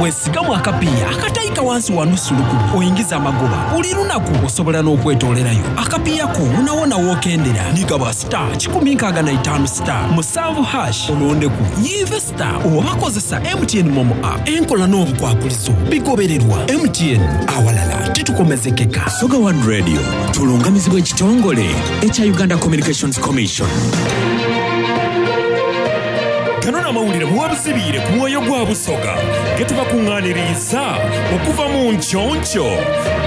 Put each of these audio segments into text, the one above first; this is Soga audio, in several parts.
Mwesigamu akapiiya akataika wansi wa nusu lukumi oingize amagoba buli lunaku. Osobola n'okwetoolerayo akapiiya ko wonawona w'okendera. Ni gaba star 165 star musanvu hash olondeku Yive Star oba kozesa MTN Momo app. Enkola n'obukwakulizo bigobererwa. MTN, awalala titukomezekeka. Soga One Radio tulungamizibwa ekitongole ekya Uganda Communications Commission. Gano n'amawulire muwebuzibiire ku mwoyo gwa Busoga getubakunganiriiza okuva mu nkyonkyO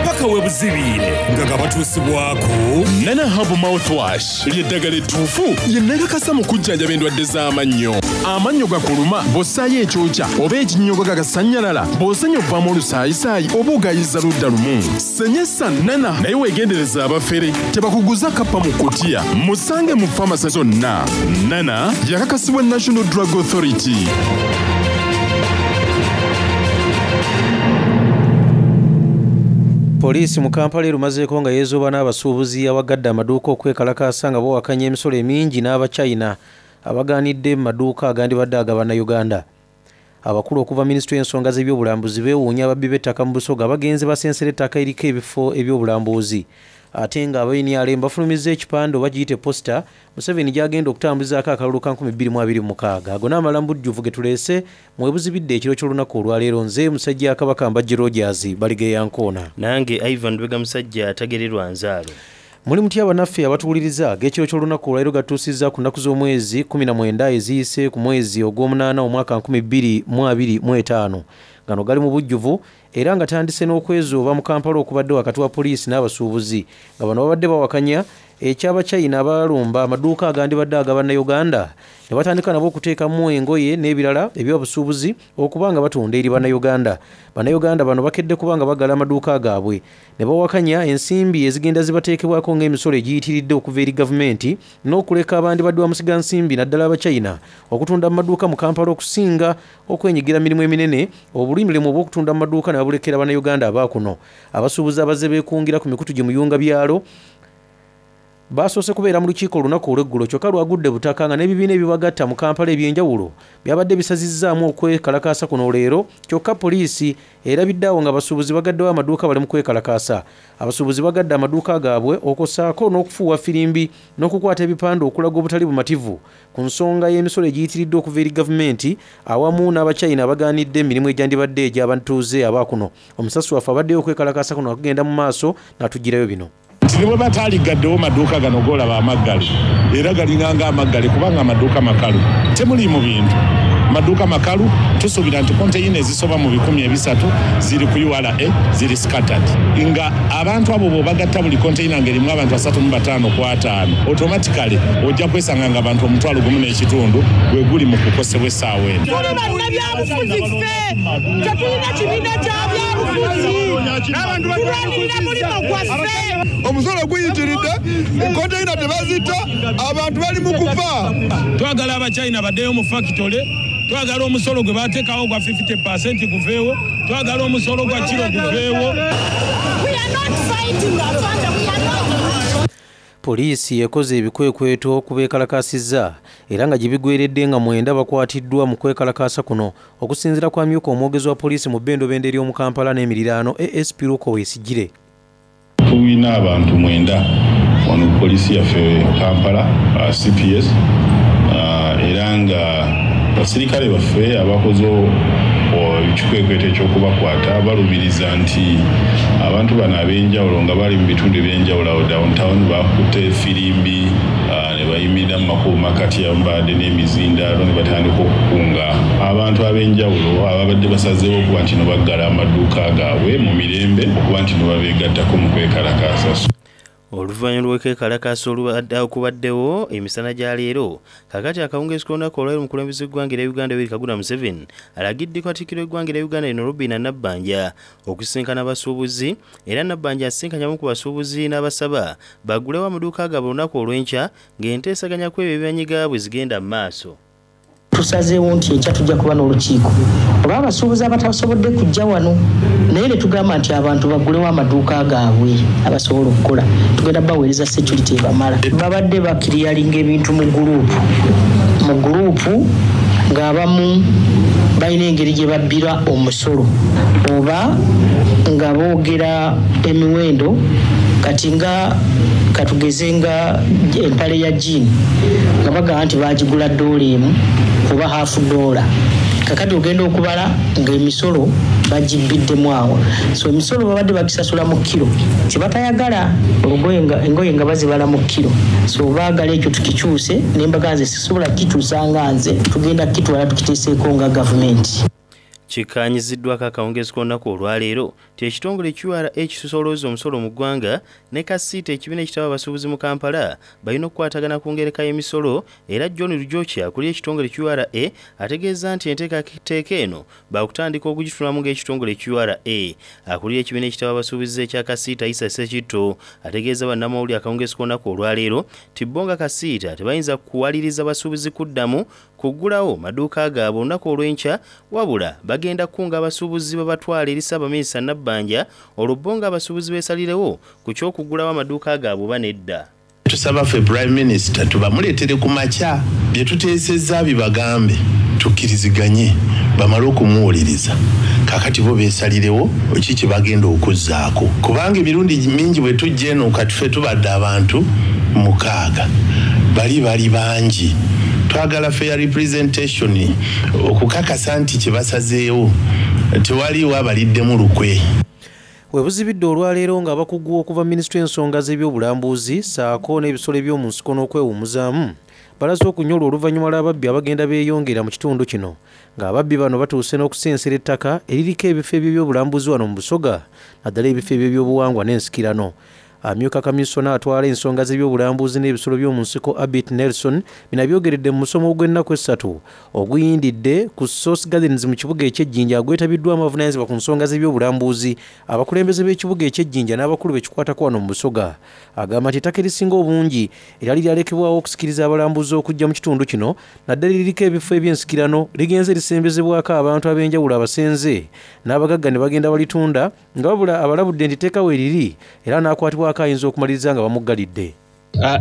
paka webuzibiire nga gabatuusibwaku Nana Herbal Mouthwash ly'eddagala ettuufu lye nakakasa mu kujjanjaba endwadde z'amannyo. Amannyo gakuluma bw'ossaayo ekyokya oba ekinnyogoga gagasannyalala, bw'osenya ovaamu olusaayisaayi oba ogayiza ludda lumu. Senyesa Nana naye weegendereze abafere tebakuguza kappa mu kkutiya. Musange mu famase zonna. Nana yakakasibwa National Drug Authority. Poliisi mu Kampala erumazeeko nga yeezooba n'abasuubuzi abagadde amaduuka okwekalakaasa nga bawakanya emisolo emingi n'Abachina abagaanidde mu maduuka agandibadde aga Bannayuganda. Abakulu okuva minisitule y'ensonga z'ebyobulambuzi beewuunya ababbi b'ettaka mu Busoga bagenze basensera ettaka eriko ebifo eby'obulambuzi ate nga aba nrm bafulumizza ekipande oba giyite posita Museveni gy'agenda okutambuzaako akalulu ka 2026. Ago n'amalala mu bujjuvu ge tuleese mu webuzibidde ekiro ky'olunaku olwaleero. Nze Musajja Kabaka Mbajje Rogers Baligeya Nkoona. Nange Ivan Lubega Musajja atagererwa nzaalo. Muli mutya banaffe abatuwuliriza? Ag'ekiro ky'olunaku olwaleero gatuusizza ku nnaku z'omwezi 19 eziyise ku mwezi ogw'omunaana omwaka 2025. Gano gali mu bujjuvu era nga tandise n'okwezooba mu Kampala okubadde wakati wa poliisi n'abasuubuzi nga bano babadde bawakanya eky'Abachina abaalumba amaduuka agandibadde aga Bannayuganda ne batandika nabo okuteekamu engoye n'ebirala eby'obusuubuzi okuba nga batunda eri Bannayuganda. Bannayuganda bano bakedde kuba nga baggala amaduuka gaabwe ne bawakanya ensimbi ezigenda zibateekebwako ng'emisolo egiyitiridde okuva eri gavumenti n'okuleka abandibadde bamusigansimbi naddala Abachina okutunda mu maduuka mu Kampala okusinga okwenyigira mu mirimu eminene obulimilimu obw'okutunda mu maduuka ne babulekera Bannayuganda aba kuno. Abasuubuzi abazze beekungira ku mikutu gi muyungabyalo Baasoose kubeera mu lukiiko olunaku olw'eggulo kyokka lwagudde butaka nga n'ebibiina ebibagatta mu Kampala eby'enjawulo byabadde bisazizzaamu okwekalakaasa kuno leero kyokka poliisi erabidde awo ng'abasuubuzi bagaddewo amaduuka bali mu kwekalakaasa. Abasuubuzi bagadde amaduuka gaabwe okwo ssaako n'okufuuwa ffirimbi n'okukwata ebipande okulaga obutali bumativu ku nsonga y'emisolo egiyitiridde okuva eri gavumenti awamu n'Abachina abagaanidde emirimu egyandibadde egy'abatuuze aba kuno. Omusasi waffe abaddeyo okwekalakaasa kuno nga kugenda mu maaso n'atuggyirayo bino. Nti ne bwe bataaliggaddewo maduuka gano g'olaba amaggale era galinga ng'amaggale kubanga amaduuka makalu temuliimu bintu. Maduuka makalu, tusuubira nti konteyina ezisoba mu 300 ziri ku ura ziri scattered nga abantu abo bw'obagatta buli konteyina ng'erimu abantu 35 ku ataano automatically ojja kwesanga nga abantu 10,500 gwe guli mu kukosebwa essaawa eno. Tuli bannabyabufuzi ffe tetulina kibiina kya byabufuzi, tulwanirira mulimo gwaffe. Omusolo guyitiridde, konteyina tebazitta, abantu bali mu kufa. Twagala Abachina baddeyo mu fakitole, twagala omusolo gwe bateekawo gwa 50% guveewo, twagala omusolo gwa kiro guveewo. Poliisi ekoze ebikwekweto ku beekalakaasizza era nga gye bigweredde nga mwenda bakwatiddwa mu kwekalakaasa kuno. Okusinziira ku amyuka omwogezi wa poliisi mu bbendobendo ery'omu Kampala n'emiriraano ASP Luke Owoyesigyire. Tulina abantu mwenda wano ku poliisi yaffe Kampala, CPS, era nga basirikale baffe abakoze ekikwekweto ekyokubakwata balumiriza nti abantu bano ab'enjawulo nga bali mu bitundu eby'enjawulo awo downtown bakutte firimbi ne bayimirira mu makubo makati abamu n'emizindaalo ne batandika okukunga abantu ab'enjawulo ababadde basazeewo okuba nti no baggala amaduuka gaabwe mu mirembe okuba nti no babeegattako mu kwekalakaasa. Oluvannyuma lw'okwekalakaasa okubaddewo emisana gya leero, kaakati akawungeezi k'olunaku olwaleero omukulembeze w'eggwanga erya Uganda Yoweri Kaguta Museveni alagidde Katikkiro w'eggwanga erya Uganda lino Robinah Nabbanja okusisinkana abasuubuzi era Nabbanja asisinkanye abamu ku basuubuzi n'abasaba baggulewo amaduuka gaabwe olunaku olw'enkya ng'enteesaganya ku ebyo ebibanyiga bwe zigenda mu maaso. Tusazeewo nti enkya tujja kuba n'olukiiko olw'abasuubuzi abatasobodde kujja wano naye ne tugamba nti abantu baggulewo amaduuka gaabwe abasobola okukola tugenda baweereza security ebamala. Babadde bakiriyalinga ebintu mu guluupu mu guluupu ng'abamu Balina engeri gye babbira omusolo oba nga boogera emiwendo kati nga katugeze nga empale ya jean nga bagamba nti baagigula ddoola emu oba haafu ddoola kakati ogenda okubala ng'emisolo bagibbiddemu awo. So emisolo babadde bagisasula mu kkiro kye batayagala olugoye nga engoye nga bazibala mu kkiro so baagala ekyo tukikyuse ne mbaga nze sisobola kukikyusa nga nze tugenda kukitwala tukiteeseeko nga gavumenti. Kikkaanyiziddwako akawungeezi k'olunaku olwaleero nti ekitongole ki ura ekisolooza omusolo mu ggwanga ne KACITA ekibiina ekitaba abasuubuzi mu Kampala balina okukwatagana ku ngereka y'emisolo era John Rujoki akulira ekitongole ki ura ategeezza nti enteekateeka eno baakutandika okugitunulamu ng'ekitongole ki ura. Akulira ekibiina ekitaba abasuubuzi ekya KACITA Isa Ssekitto ategeezza bannamawulire akawungeezi k'olunaku olwaleero nti bo nga KACITA tebayinza kuwaliriza basuubuzi kuddamu kuggulawo maduuka gaabwe olunaku olw'enkya wabula bagenda kukunga abasuubuzi babatwale eri Ssaabaminisita Nabbanja olwo bo ng'abasuubuzi beesalirewo ku ky'okuggulawo amaduuka gaabwe oba nedda. Tusaba ffe Prime Minister tubamuleetere ku makya bye tuteesezza abibagambe tukkiriziganye bamale okumuwuliriza kaakati bo beesalirewo ki kye bagenda okuzzaako kubanga emirundi mingi bwe tujja eno kati ffe tubadde abantu mukaaga bali bali bangi twagala fair representation okukakasa nti kye basazeewo tewaliiwo abaliddemu lukwe. Webuzibidde olwaleero ng'abakugu okuva mu minisitule y'ensonga z'ebyobulambuzi ssaako n'ebisolo eby'omu nsiko n'okwewummuzaamu balaze okunyolwa oluvannyuma lw'ababbi abagenda beeyongera mu kitundu kino ng'ababbi bano batuuse n'okusensera ettaka eririko ebifo eby'ebyobulambuzi wano mu Busoga naddala ebifo eby'ebyobuwangwa n'ensikirano. Amyuka kamisona atwala ensonga z'ebyobulambuzi n'ebisolo by'omu nsiko Abit Nelson bino abyogeredde mu musomo ogw'ennaku essatu oguyindidde ku Source Gardens mu kibuga eky'e Jinja agwetabiddwamu abavunaanyizibwa ku nsonga z'ebyobulambuzi, abakulembeze b'ekibuga eky'e Jinja n'abakulu be kikwatako wano mu Busoga. Agamba nti ettaka erisinga obungi eryali lyalekebwawo okusikiriza abalambuzi okujja mu kitundu kino naddala eririko ebifo eby'ensikirano ligenze lisembezebwako abantu ab'enjawulo abasenze n'abagagga ne bagenda balitunda nga wabula abalabudde nti etteeka weeriri era n'akwatibwako ayinza okumaliriza nga bamuggalidde.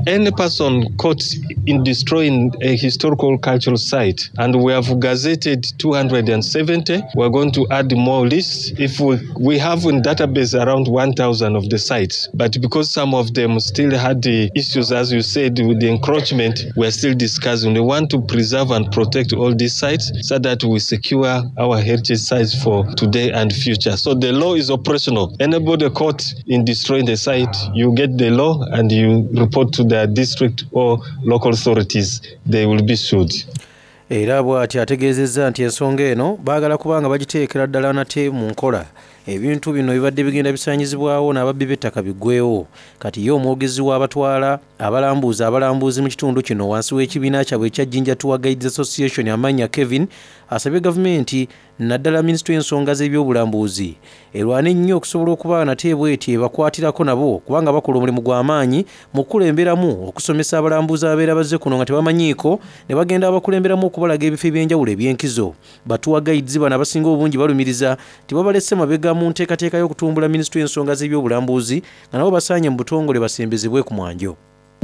Any person caught in destroying a historical cultural site, and we have gazetted 270. We are going to add more lists. If we have in database around 1,000 of the sites, but because some of them still had the issues, as you said, with the encroachment, we are still discussing. We want to preserve and protect all these sites so that we secure our heritage sites for today and future. So the law is operational. Anybody caught in destroying the site, you get the law and you report to their district or local authorities, they will be sued. Era bw'ati ategeezezza nti ensonga eno baagala kubanga bagiteekera ddala nate mu nkola ebintu bino bibadde bigenda bisaanyizibwawo n'ababbi b'ettaka biggweewo. Kati ye omwogezi w'abatwala abalambuuzi abalambuuzi mu kitundu kino wansi w'ekibiina kyabwe ekya Jinja Tour Guides Association Amanya Kevin asabye gavumenti naddala minisitule y'ensonga z'ebyobulambuzi erwane nnyo okusobola okuba nate bw'eti ebakwatirako nabo kubanga bakola omulimu gw'amaanyi mu kukulemberamu okusomesa abalambuzi ababeera bazze kuno nga tebamanyiiko ne bagenda abakulemberamu okubalaga ebifo eby'enjawulo eby'enkizo. Ba tour guides bano abasinga obungi balumiriza nti babalese mabega mu nteekateeka y'okutumbula minisitule y'ensonga z'ebyobulambuzi nga nabo basaanye mu butongole basembezebwe ku mwanjo.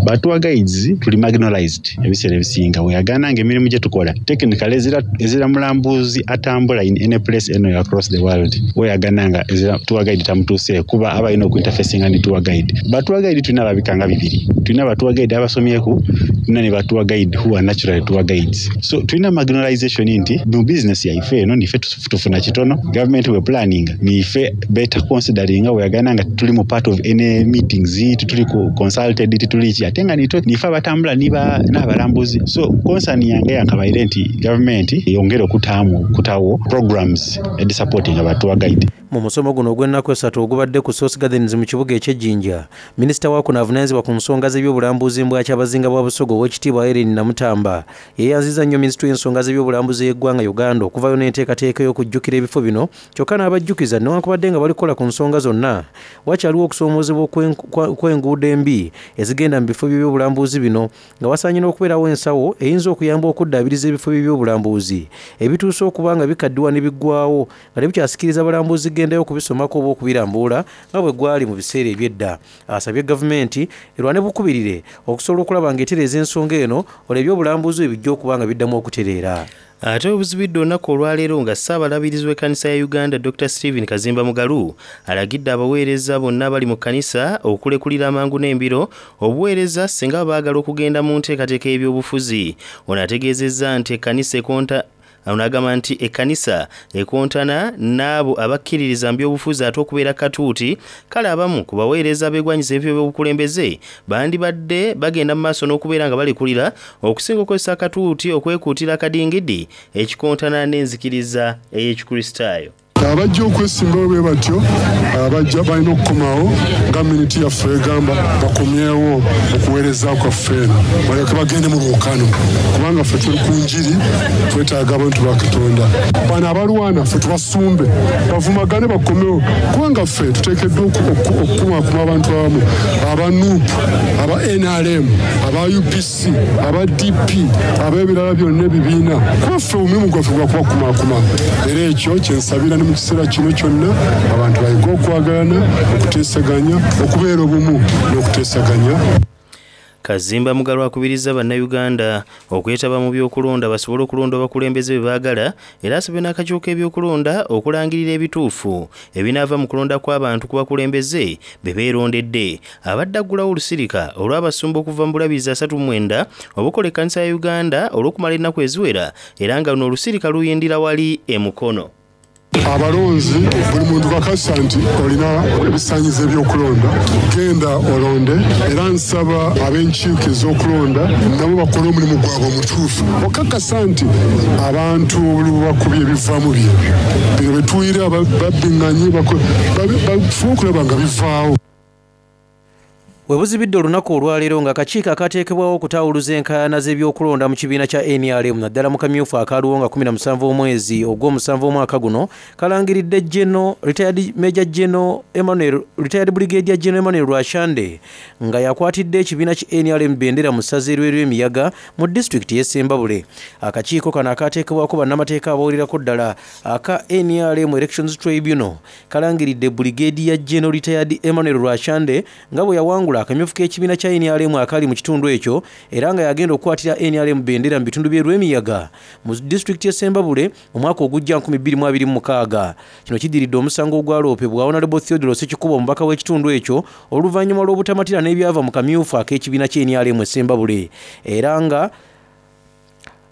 Ba tour guides tuli marginalized ebiseera ebisinga weyagaana ng'emirimu gye tukola technically ezira mulambuzi atambula in any place anywhere across the world weyagaana nga ezira tour guide tamutuuse kuba aba alina okuinterfacinga ne tour guide. Ba tour guide tulina ababika nga bibiri, tulina ba tour guide abasomyeku, tulina ne ba tour guide who are naturally tour guides. So tulina marginalization nti mu business yaife eno nife tufuna kitono, government we planning nife better considering weyagaana nga tuli mu part of any meetings, tituli consulted, tituli ki ate nga nife abatambula niba n'abalambuzi. So concern yange yankabaire nti government eyongere okutaamu okutawo programs edisupporting aba tour guide. Mu musomo guno ogw'ennaku essatu ogubadde ku Source Gardens mu kibuga eky'e Jinja, minisita wa kuno avunaanyizibwa ku nsonga z'ebyobulambuzi mbwakyabazinga bwa Busoga ow'ekitiibwa Irene Namutamba yeeyanzizza nnyo minisitule y'ensonga z'ebyobulambuzi y'eggwanga Uganda okuvayo n'enteekateeka ey'okujjukira ebifo bino kyokka n'abajjukiza newankubadde nga balikola ku nsonga zonna wakyaliwo okusoomoozebwa kw'enguudo embi ezigenda mu bifo by'ebyobulambuzi bino nga wasaanye n'okubeerawo ensawo eyinza okuyamba okuddaabiriza ebifo by'ebyobulambuzi ebituuse okuba nga bikaddiwa ne biggwawo nga tebikyasikiriza balambuzi kugendayo okubisomako oba okubirambula nga bwe gwali mu biseera eby'edda. Asabye gavumenti erwane bukubirire okusobola okulaba ng'etereeza ensonga eno olwo ebyobulambuzi bwe bijja okuba nga biddamu okutereera. Ate obuzibidde olunaku olwaleero nga Ssaabalabirizi w'ekkanisa ya Uganda Dokita Stephen Kazimba Mugalu alagidde abaweereza bonna abali mu kkanisa okulekulira amangu n'embiro obuweereza singa baba baagala okugenda mu nteekateeka y'ebyobufuzi. Ono ategeezezza nti ekkanisa ekonta Ono agamba nti ekkanisa ekontana n'abo abakkiririza mu byobufuzi ate okubeera katuuti kale abamu ku baweereza abeegwanyiza ebifo by'obukulembeze bandibadde bagenda mu maaso n'okubeera nga balekulira okusinga okukozesa akatuuti okwekuutira akadingidi ekikontana n'enzikiriza ey'Ekikristaayo. Abajja okwesimbawo bwe batyo abajja balina okukomawo nga miniti yaffe egamba bakomyewo okuweereza kwaffe eno balyoke bagende mu lwokano kubanga ffe tuli ku njiri twetaaga abantu ba Katonda. Bano abalwana ffe tubasumbe bavumagane bakomewo kubanga ffe tuteekeddwa okukumakuma abantu abamu aba nup, aba nrm, aba UPC, aba DP, ab'ebirala byonna ebibiina kuba ffe omulimu gwaffe gwa kubakumaakuma era ekyo kye nsabira ne mu kiseera kino kyonna abantu bayige okwagalana, okuteesaganya, okubeera obumu n'okuteesaganya. Kazimba Mugalu akubirizza Bannayuganda okwetaba mu by'okulonda basobole okulonda abakulembeze be baagala era asabye n'akakiiko k'ebyokulonda okulangirira ebituufu ebinaava mu kulonda kw'abantu ku bakulembeze be beerondedde. Abadde aggulawo olusirika olw'abasumba okuva mu bulabirizi 39 obukola ekkanisa ya Uganda olw'okumala ennaku eziwera era nga luno olusirika luyindira wali e Mukono. Abalonzi buli muntu kakasa nti olina ebisaanyizo eby'okulonda, genda olonde era nsaba ab'enkiiko ez'okulonda nabo bakole omulimu gwabwe omutuufu okakasa nti abantu obululu bakubye ebivaamu byebyo bino betuwulira babbinganye bafube okulaba nga bivaawo. We buzibidde olunaku olwaleero ng'akakiiko akaateekebwawo okutaawuluza enkaayana z'ebyokulonda mu kibiina kya nrm naddala mu kamyufu akaaliwo nga 17 omwezi ogw'omusanvu omwaka guno kalangiridde General Retired Major General Emmanuel Retired Brigadier General Emmanuel Rwashande nga yakwatidde ekibiina ki nrm bendera mu ssaza ery'Emiyaga mu disitulikiti y'e Ssembabule. Akakiiko kano akaateekebwako bannamateeka abawererako ddala aka nrm Elections Tribunal kalangiridde Brigadier General Retired Emmanuel Rwashande nga bwe yawangula akamyufu k'ekibiina kya nrm akali mu kitundu ekyo era nga yagenda okukwatira nrm bendera mu bitundu by'e Lwemiyaga mu disitulikiti y'e Ssembabule omwaka ogujja 2026. Kino kiddiridde omusango ogwaloopebwa Honorable Theodore Ssekikubo omubaka w'ekitundu ekyo oluvannyuma lw'obutamatira n'ebyava mu kamyufu ak'ekibiina kya nrm e Ssembabule era nga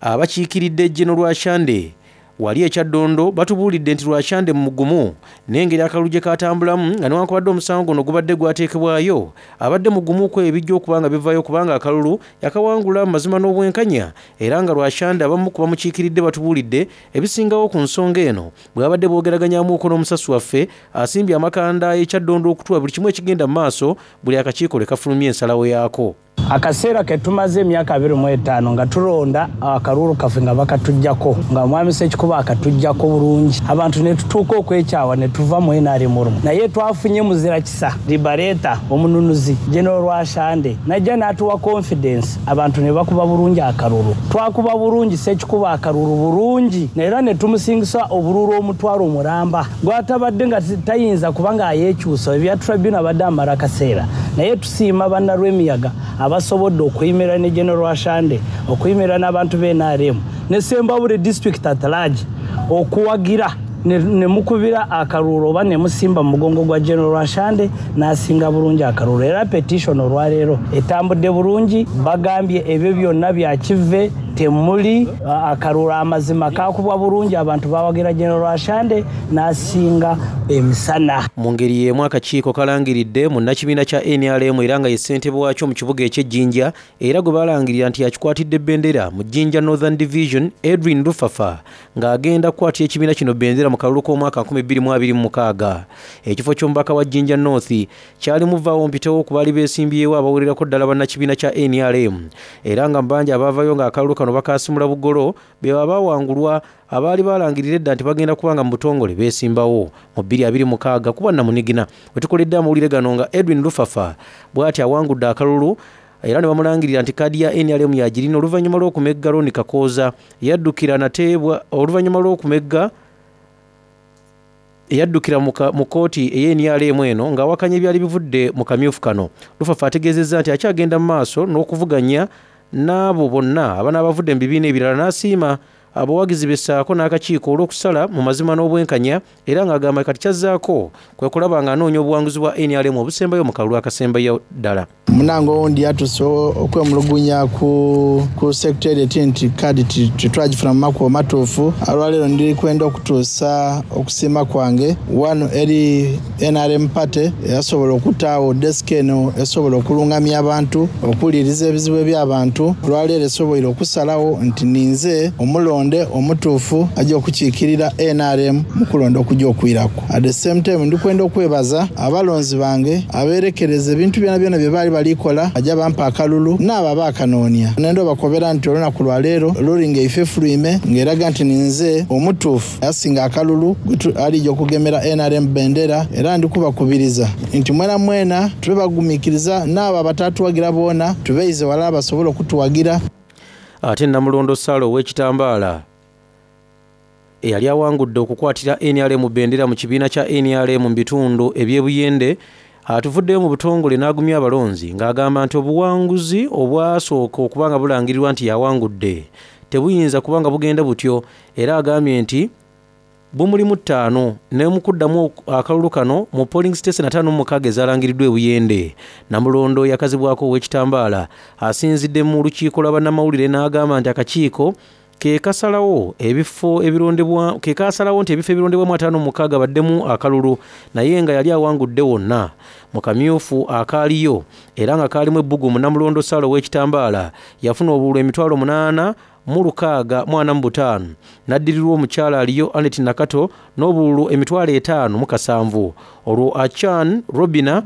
abakiikiridde General Rwashande wali e Kyaddondo batubuulidde nti Rwashande mugumu n'engeri akalulu gye katambulamu nga newankubadde omusango guno gubadde gwateekebwayo abadde mugumu ku ebijja okuba nga bivaayo kubanga akalulu yakawangula mu mazima n'obwenkanya era nga Rwashande abamu ku bamukiikiridde batubuulidde ebisingawo ku nsonga eno bwe babadde boogeraganyaamuuko n'omusasi waffe asimbye amakanda e Kyaddondo okutuwa buli kimu ekigenda mu maaso buli akakiiko lwe kafulumya ensalawo yaako. Akaseera ke tumaze emyaka 25 nga tulonda akalulu kaffe nga bakatuggyako, nga Mwami Ssekikubo akatuggyako bulungi, abantu ne tutuuka okwekyawa ne tuva mu nrm olumu. Naye twafunye muzira kisa Liberator, omununuzi General Rwashande n'ajja n'atuwa confidence, abantu ne bakuba bulungi akalulu. Twakuba bulungi Ssekikubo akalulu bulungi era ne tumusingisa obululu omutwalo omulamba gwatabadde nga tayinza kuba ng'ayeekyusa. Ebya tribunal abadde amala akaseera, naye tusiima bannalwemiyaga abasobodde okuyimirira ne General Rwashande, okuyimirira n'abantu b'N R M ne Ssembabule district at large okuwagira ne mukubira akalulu oba ne musimba mu mugongo gwa General Rwashande n'asinga bulungi akalulu. Era petition olwaleero etambudde bulungi, bagambye ebyo byonna bya kive temuli akalulu amazima kakubwa bulungi, abantu bawagira General Rwashande n'asinga emisana. Mu ngeri y'emu akakiiko kalangiridde munnakibiina kya NRM era nga ye ssentebe waakyo mu kibuga eky'e Jinja era gwe balangirira nti yakikwatidde bendera mu Jinja Northern Division Edwin Lufafa ng'agenda kukwatira ekibiina kino bendera mu kalulu k'omwaka 2026. Ekifo ky'omubaka wa Jinja North kyali muvaawo mpitewo ku baali beesimbyewo abawererako ddala bannakibiina kya NRM era nga mu bangi abaavayo ng'akalulu kano bakaasimula bugolo be baba bawangulwa abaali balangirira edda nti bagenda kuba nga mu butongole beesimbawo mu 2026 kuba Namunigina. We tukoledde amawulire gano nga Edwin Lufafa bw'ati awangudde akalulu era ne bamulangirira nti kaadi ya NRM yagirina oluvannyuma lw'okumegga Ronnie Kakooza yaddukira nateebwa oluvannyuma lw'okumegga eyaddukira mu kkooti ey'N R M eno ng'awakanya ebyali bivudde mu kamyufu kano. Lufafa ategeezezza nti akyagenda mu maaso n'okuvuganya n'abo bonna abanaabavudde mu bibiina ebirala n'asiima abawagizi be ssaako n'akakiiko olw'okusala mu mazima n'obwenkanya era ng'agamba kati kyazzaako kwe kulaba ng'anoonya obuwanguzi bwa nrm obusembayo mu kalulu akasembayo ddala. Munange owundi yatuuse okwemulugunya ku ku secretariat nti kaadi titwagifuna mu makubo matuufu. Olwaleero ndi kwenda okutuusa okusiima kwange wano eri nrm party eyasobola okutaagho desk eno esobola okulungamya abantu, okuwuliriza ebizibu eby'abantu. Olwaleero esoboire okusalagho nti ninze omulonde omutuufu aja okukiikirira nrm mu kulonda okuja okwiraku. At the same time ndi kwenda okwebaza abalonzi bange aberekereza ebintu byonabyona bye baali bali kola baja bampa akalulu n'abo abaakanoonia. Nenda obakobera nti olunaku lwa leero luli nga eife efulwime nga eraga nti ninze omutuufu asinga akalulu alija okugemera nrm bendera era ndi kubakubiriza nti mwenamwena tube bagumikiriza n'abo abatatuwagira boona tubeize ghalala basobole okutuwagira. Ate Namulondo Sarah ow'ekitambaala eyali awangudde okukwatira nrm bendera mu kibiina kya nrm mu bitundu eby'e Buyende atuvuddeyo mu butongole n'agumya abalonzi ng'agamba nti obuwanguzi obwasooka okuba nga bulangirirwa nti yawangudde tebuyinza kuba nga bugenda butyo era agambye nti bumulimu ttaano ne mu kuddamu akalulu kano mu polling station 56 ezalangiriddwa e Buyende. Namulondo yakazibwako ow'ekitambaala asinzidde mu lukiiko lwa bannamawulire n'agamba nti akakiiko ke kasalawo ebifo ebirondebwa ke kasalawo nti ebifo ebirondebwamu 56 baddemu akalulu naye nga yali awangudde wonna mu kamyufu akaaliyo era nga kaalimu ebbugumu. Namulondo Sarah ow'ekitambaala yafuna obululu 8,645 n'addirirwa omukyala aliyo Annet Nakato n'obululu 57,000 olwo Achan Robina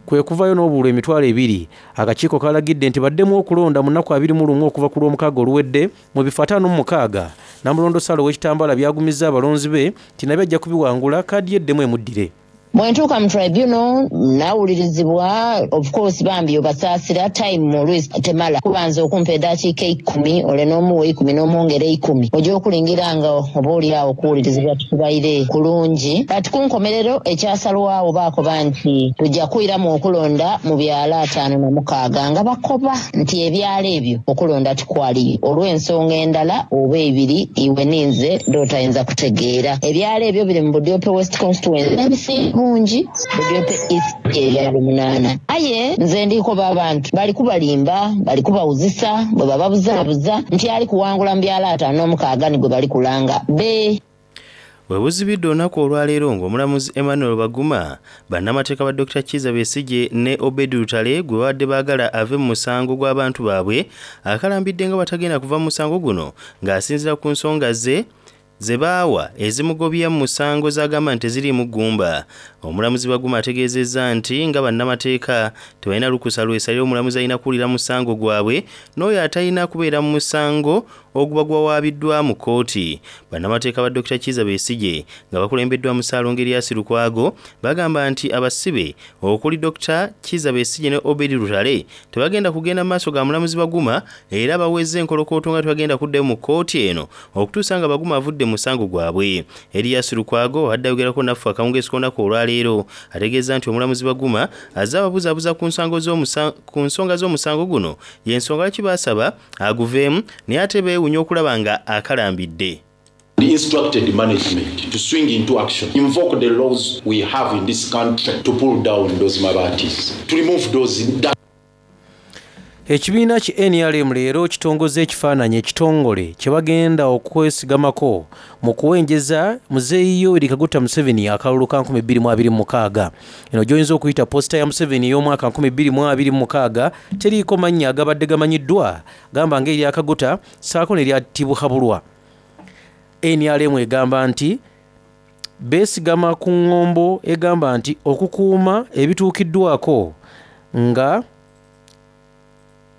kwe kuvayo n'obululu 20,000. Akakiiko kalagidde nti baddemu okulonda mu nnaku 21 okuva ku Lwomukaaga oluwedde mu bifo 56. Namulondo Sarah ow'ekitambaala byagumizza abalonzi be nti nabyo ajja kubiwangula kaadi ye eddemu emuddire. Bwe ntuuka mu tribunal nawulirizibwa, of course bambi obasaasira time oluisi temala kubanza okumpa edaakiika 10 ole n'omuwa 10 n'omwongera 10 ojja okulingira nga oba oli awo okuwulirizibwa tukubaire kulungi. Kati ku nkomerero ekyasalwawo baakoba nti tujja kwiramu okulonda mu byalo 56 nga bakoba nti ebyalo ebyo okulonda tikwaliyo olw'ensonga endala oba ebiri iwe ninze dh'otayinza kutegeera. Ebyalo ebyo biri mu Budiope West constituency n'ebisinga bungi Budiope East ebyalo 8. Aye nze ndikoba abantu bali kubalimba, bali kubawuzisa bwe bababuzaabuza nti ali kuwangula mu byalo 56 ni gwe bali kulanga be. Bwe buzibidde olunaku olwaleero ng'omulamuzi Emmanuel Baguma bannamateeka ba Dokita Kizza Besigye ne Obed Lutale gwe babadde baagala ave mu musango gw'abantu baabwe akalambidde nga batagenda kuva mu musango guno ng'asinziira ku nsonga ze ze baawa ezimugobya mu musango z'agamba nti teziriimu ggumba. Omulamuzi Baguma ategeezezza nti nga bannamateeka tebalina lukusa lwesalira omulamuzi alina kuwulira musango gwabwe n'oyo atalina kubeera mu musango oguba gwawaabiddwa mu kkooti. Bannamateeka ba Dokita Kizza Besigye nga bakulembeddwamu Ssaalongo Erias Lukwago bagamba nti abasibe okuli Dokita Kizza Besigye ne Obed Lutale tebagenda kugenda mu maaso ga mulamuzi Baguma era baweze enkolokooto nga tebagenda kuddayo mu kkooti eno okutuusa nga Baguma avudde mu musango gwabwe. Erias Lukwago abadde ayogerako naffe akawungeezi k'olunaku olwaleero ategeeza nti omulamuzi Baguma azze ababuzaabuza ku nsonga z'omusango guno y'ensonga lwaki baasaba aguveemu naye ate beewuunya okulaba nga akalambidde. The instructed management to swing into action, invoke the laws we have in this country to pull down those mabatis, to remove those. Ekibiina ki NRM leero kitongoza ekifaananyi ekitongole kye bagenda okwesigamako mu kuwenjeza Muzeeyi Yoweri Kaguta Museveni akalulu ka 2026. Eno gy'oyinza okuyita posita ya Museveni ey'omwaka 2026 teriiko mannya agabadde gamanyiddwa gamba ng'erya Kaguta ssaako n'erya Tibuhaburwa. NRM egamba nti beesigama ku ng'ombo egamba nti okukuuma ebituukiddwako nga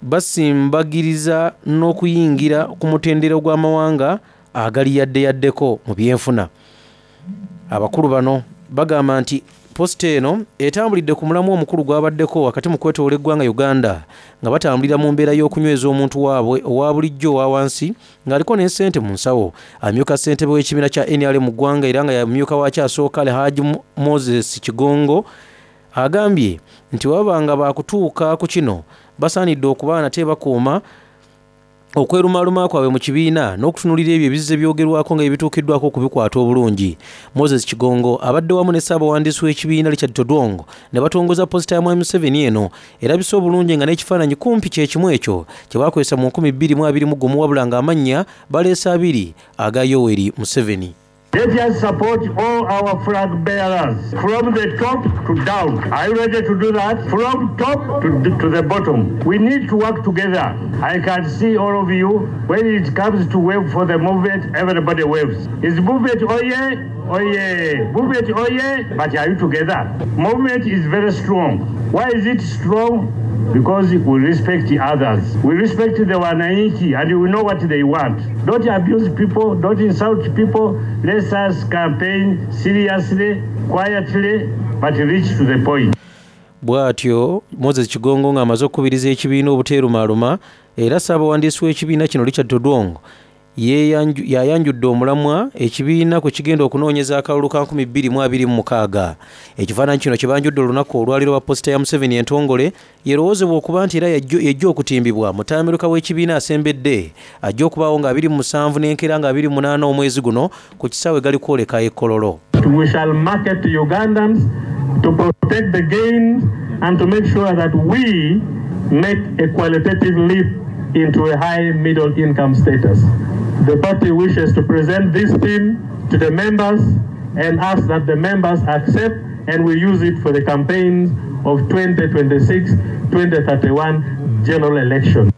basimbagiriza n'okuyingira ku mutendera gw'amawanga agali yadde yaddeko mu byenfuna. Abakulu bano bagamba nti posita eno etambulidde ku mulamwa omukulu gw'abaddeko wakati mu kwetoola eggwanga Uganda nga batambulira mu mbeera y'okunyweza omuntu waabwe owa bulijjo owa wansi ng'aliko n'essente mu nsawo. Amyuka ssentebe w'ekibiina kya NRM mu ggwanga era nga yamyuka waakyo asooka Alhaji Moses Kigongo agambye nti bwe baba nga baakutuuka ku kino basaanidde okuba nate bakuuma Okwerumaaluma kwabwe mu kibiina n'okutunuulira ebyo ebizze byogerwako nga bye bituukiddwako okubikwata obulungi. Moses Kigongo abadde wamu ne Ssaabawandiisi w'ekibiina Richard Todwong ne batongoza posita ya Mwami Museveni eno erabise obulungi nga n'ekifaananyi kumpi kye kimu ekyo kye baakozesa mu 2021 wabula ng'amannya baleese abiri aga Yoweri Museveni. Let us support all our flag bearers from the top to down. Are you ready to do that? From top to the bottom. We need to work together. I can see all of you. When it comes to wave for the movement, everybody waves. Is movement oh yeah? Oh yeah. Movement oh yeah? But are you together? Movement is very strong. Why is it strong? Because we respect the others. We respect the Wananchi and we know what they want. Don't abuse people, don't insult people. Let us campaign seriously, quietly, but reach to the point. Bw'atyo Moses Kigongo ng'amaze okukubiriza ekibiina obuteerumaaluma era Ssaabawandiisi w'ekibiina kino Richard Todwong yayanjudde omulamwa ekibiina kwe kigenda okunoonyeza akalulu ka 2026. Ekifaananyi kino kye banjudde olunaku olwaleero lwa posita ya Museveni entongole yerowoozebwa okuba nti era yajja okutimbibwa mutamiruka w'ekibiina asembedde ajja okubaawo nga 27 n'enkeera nga 28 omwezi guno ku kisaawe gali kwoleka e Kololo. We shall market to Ugandans to protect the gains and to make sure that we make a qualitative leap into a high middle income status. The party wishes to present this theme to the members and ask that the members accept and we use it for the campaigns of 2026-2031 general election.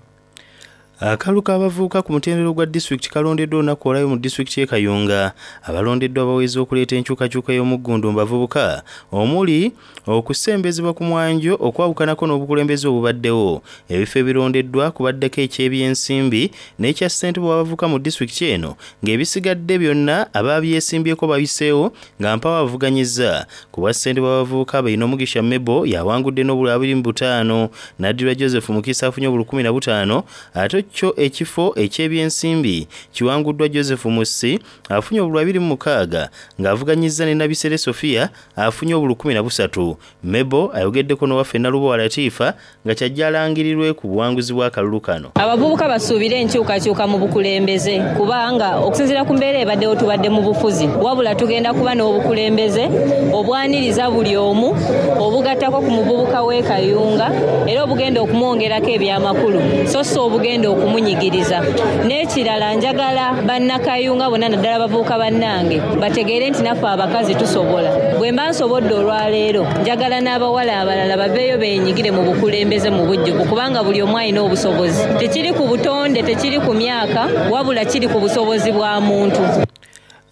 Akalulu k'abavubuka ku mutendera gwa disitulikiti kalondeddwa olunaku olwayo mu disitulikiti y'e Kayunga. Abalondeddwa baweza okuleeta enkyukakyuka y'omuggundu mu bavubuka omuli okusembezebwa ku mwanjo okwawukanako n'obukulembeze obubaddewo. Ebifo ebirondeddwa kubaddeko eky'ebyensimbi n'ekya ssentebe w'abavubuka mu disitulikiti eno ng'ebisigadde byonna ababyesimbyeko bayiseewo nga mpawo avuganyizza. Ku bwa ssentebe w'abavubuka Bainomugisha Mebo yawangudde n'obululu 25, n'addirwa Joseph Mukisa afunye obululu 15, ate kyo ekifo eky'ebyensimbi kiwanguddwa Joseph Mussi afunye obululu 26 ng'avuganyizza ne Nabisere Sofia afunye obululu 13. Mebo ayogeddeko n'owaffe Nalubowa Latifa nga kyajja alangirirwe ku buwanguzi bw'akalulu kano. Abavubuka basuubire enkyukakyuka mu bukulembeze kubanga okusinziira ku mbeera ebaddewo tubadde mu bufuzi, wabula tugenda kuba n'obukulembeze obwaniriza buli omu, obugattako ku muvubuka w'e Kayunga era obugenda okumwongerako ebyamakulu so si obugenda okumunyigiriza. N'ekirala njagala bannakayunga bonna naddala abavubuka bannange bategeere nti naffe abakazi tusobola. Bwe mba nsobodde olwaleero njagala n'abawala abalala baveeyo beenyigire mu bukulembeze mu bujjuvu kubanga buli omu alina obusobozi. Tekiri ku butonde, tekiri ku myaka, wabula kiri ku busobozi bwa muntu.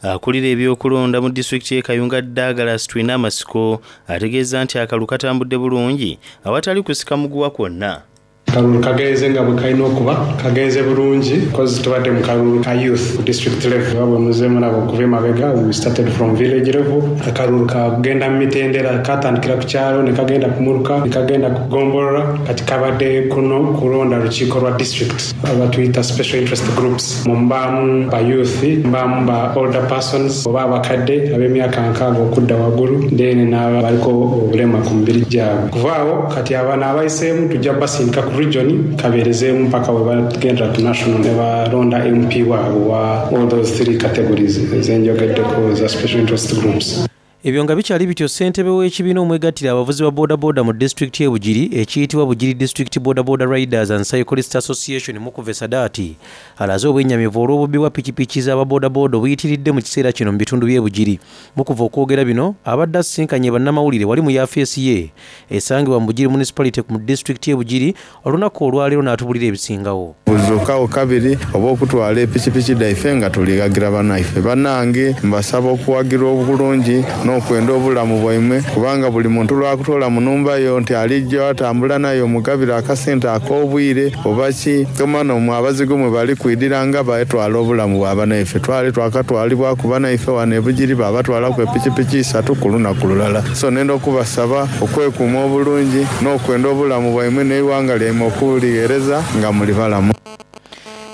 Akulira ebyokulonda mu disitulikiti y'e Kayunga Douglas Twinamasiko ategeeza nti akalulu katambudde bulungi awatali kusika muguwa kwonna. Akalulu kagenze nga bwe kalina okuba, kagenze bulungi because tubadde mu kalulu ka youth ku district level nga bwe muze mulaba okuva emabega. We started from village level. Akalulu kagenda mu mitendera, katandikira ku kyalo ne kagenda ku muluka ne kagenda ku ggombolola. Kati kabadde kuno kulonda lukiiko lwa district abatuyita special interest groups. Mubaamu ba youth, mubaamu ba older persons oba abakadde ab'emyaka 60 okudda waggulu, then n'abaliko obulema ku mibiri gyabwe. Kuvaawo kati abano abayiseemu tujja basindika ku region kabeerezeemu mpaka we bagendera ku national ne balonda MP waabwe wa all those three categories ezenjogeddeko za special interest groups. Ebyo nga bikyali bityo, ssentebe w'ekibiina omwegattira abavuzi ba bodaboda mu disitulikiti y'e Bugiri ekiyitibwa Bugiri District Boda Boda Riders and Cyclist Association Mukuve Sadaati alaze obwennyamivu olw'obubbi bwa pikipiki z'ababodaboda obuyitiridde mu kiseera kino mu bitundu by'e Bugiri. Mukuve okwogera bino abadde asisinkanye bannamawulire wali mu yafeesi ye esangibwa mu Bugiri Municipality mu disitulikiti y'e Bugiri olunaku olwaleero n'atubulira ebisingawo. Buzuukawo kabiri oba okutwala epikipiki dhaife nga tulighagira banaife. Banange mbasaba okuwagira obulungi n'okwenda obulamu bwaimwe, kubanga buli muntu lwakutoola mu numba yo nti alijja atambula naye omugabira akasente ak'obwire oba ki tomana omwe abazigu mwe bali kwidira nga baetwala obulamu bwa banaife. Twali twakatwalibwaku banaife wano e Bugiri babatwalaku epikipiki isatu ku lunaku lulala. So nenda okubasaba okwekuuma obulungi n'okwenda obulamu bwaimwe n'eighanga lyaimwe okulighereza nga muli balamu.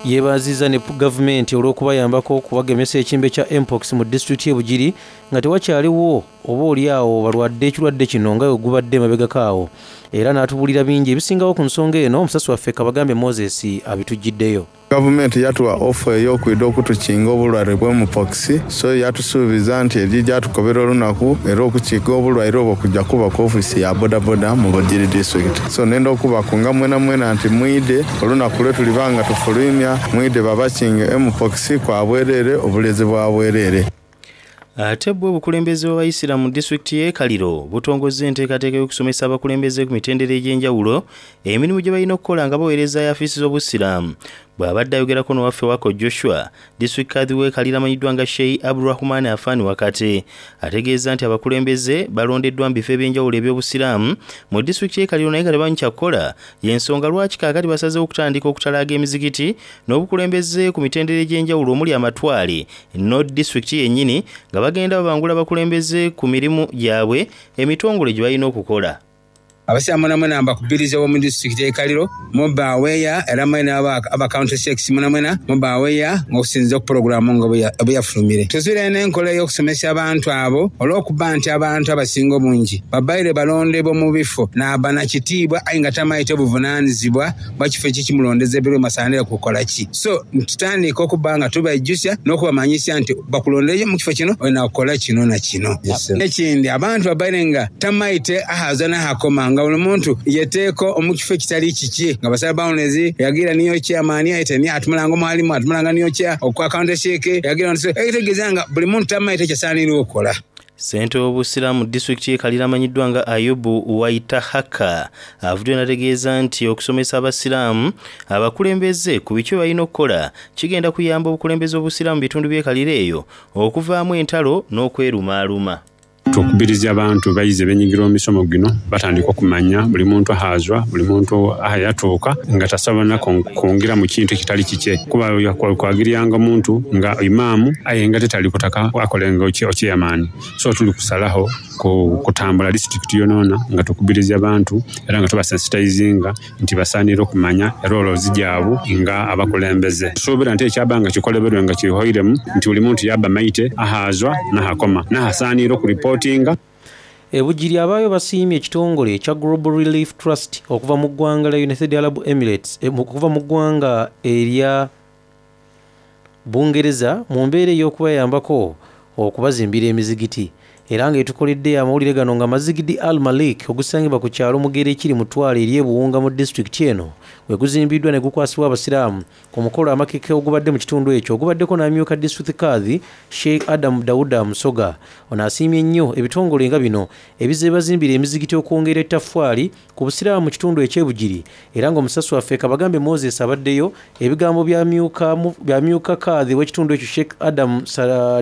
Yeebazizza ne gavumenti olw'okubayambako okubagemesa ekimbe kya Mpox mu disitulikiti y'e Bugiri nga tewakyaliwo oba oli awo balwadde ekirwadde kino nga bwe gubadde emabegako awo, era n'atubuulira bingi ebisingawo ku nsonga eno. Omusasi waffe Kabagambe Moses abitujjiddeyo. Gavumenti yatuwa ofa ey'okwidha okutukinga obulwaire bwa Mpox so yatusuubiza nti erija atukobera olunaku era okukiga obulwaire obwo kuja kuba ku ofiisi ya bodaboda mu Bugiri disitulikiti. So nenda okubakunga mwenamwena nti mwidhe olunaku lwetuliba nga tufulwimya mwidhe babakinge Mpox kwa bwerere obulezi bwa bwerere. Ate bwo obukulembeze bw'abayisiraamu mu disitulikiti y'e Kaliro butongozza enteekateeka y'okusomesa abakulembeze ku mitendera egy'enjawulo emirimu gye balina okukola nga baweereza yaafiisi z'obusiraamu. Bw'abadde ayogerako n'owaffe Wako Joshua, Disitulikiti Kadhi w'e Kaliro amanyiddwa nga Sheikh Abdulrahman Afan Wakati ategeezza nti abakulembeze balondeddwa mu bifo eby'enjawulo eby'obusiraamu mu disitulikiti y'e Kaliro naye nga tebamanyi kyakukola y'ensonga lwaki kaakati basazeewo okutandika okutalaaga emizikiti n'obukulembeze ku mitendera egy'enjawulo omuli amatwale no disitulikiti yennyini nga bagenda babangula abakulembeze ku mirimu gyabwe emitongole gye balina okukola. Abasiraamu mwenamwena mbakubiriza ab'omu disitulikiti y'e Kaliro mube aweya era mwena aba County Sheikhs mwenamwena mube aweya ng'okusinziira ku pulogulaamu nga bweyafulumire. Tuzwire n'enkola ey'okusomesa abantu abo olw'okuba nti abantu abasinga obungi babaire balondebwa mu bifo naaba na kitiibwa aye nga tamaite buvunanizibwa bwa kifo ekyo ekimulondeza ebirwe masaanire kukola ki. So tutandika okuba nga tubaijusya n'okubamanyisya nti bakulondeire mu kifo kino olina kukola kino na kino. N'ekindi abantu babaire nga tamaite aghaza n'aghakoma nga buli muntu yeteeka omu kifo ekitali kikye nga basala boundaries yagira niyo chairman aye ni atumulanga omwalimu atumulanga niyo chair okwa county sheik yagira so ekitegeeza nga buli muntu tamaite kyasaanire okukola. Ssentebe w'Obusiraamu mu disitulikiti y'e Kaliro amanyiddwa nga Ayubu Waitahaka avuddeyo n'ategeeza nti okusomesa Abasiraamu abakulembeze ku biki bye balina okukola kigenda kuyamba obukulembeze bw'Obusiraamu mu bitundu by'e Kaliro eyo okuvaamu entalo n'okwerumaaluma. Tukubiriza abantu baize benyigira omu misomo gino batandike okumanya buli muntu ahaazwa, buli muntu ahayatuuka nga tasobola kwongira mu kintu ekitali kikye kuba kwagiryanga omuntu nga imaamu aye nga tetali kutaka akolenga okyeyamaani. So tuli kusalagho kutambula disiturikiti yonayona nga tukubiriza abantu era nga tubasensitayizinga nti basaanire okumanya eroolozi gyabu nga abakulembeze. Tusuubira nti ekyaba nga kikoleberwe nga kihoiremu nti buli muntu yaaba maite ahaazwa n'ahakoma n'ahasaaniire okuripootinga. E Bugiri abaayo basiimye ekitongole ekya Global Relief Trust okuva mu ggwanga lya United Arab Emirates okuva mu ggwanga erya Bungereza mu mbeera ey'okubayambako okubazimbira emizigiti era nga etukoledde amawulire gano nga Mazigidi Al Malik ogusangibwa ku kyalo Mugera ekiri mu ttwale ery'e Buwunga mu disitulikiti eno weguzimbidwa negukwasibwa abasiraamu ku mukolo amakeke ogubadde mu kitundu ekyo ogubaddeko n'amyuka disitulikiti Kadhi Sheikh Adam Dauda Musoga. Ono asiimye nnyo ebitongole nga bino ebizze bibazimbira emizigiti okwongera ettaffaali ku Busiraamu mu kitundu eky'e Bugiri era nga omusasi waffe Kabagambe Moses abaddeyo, ebigambo by'amyuka Kadhi w'ekitundu ekyo Sheikh Adam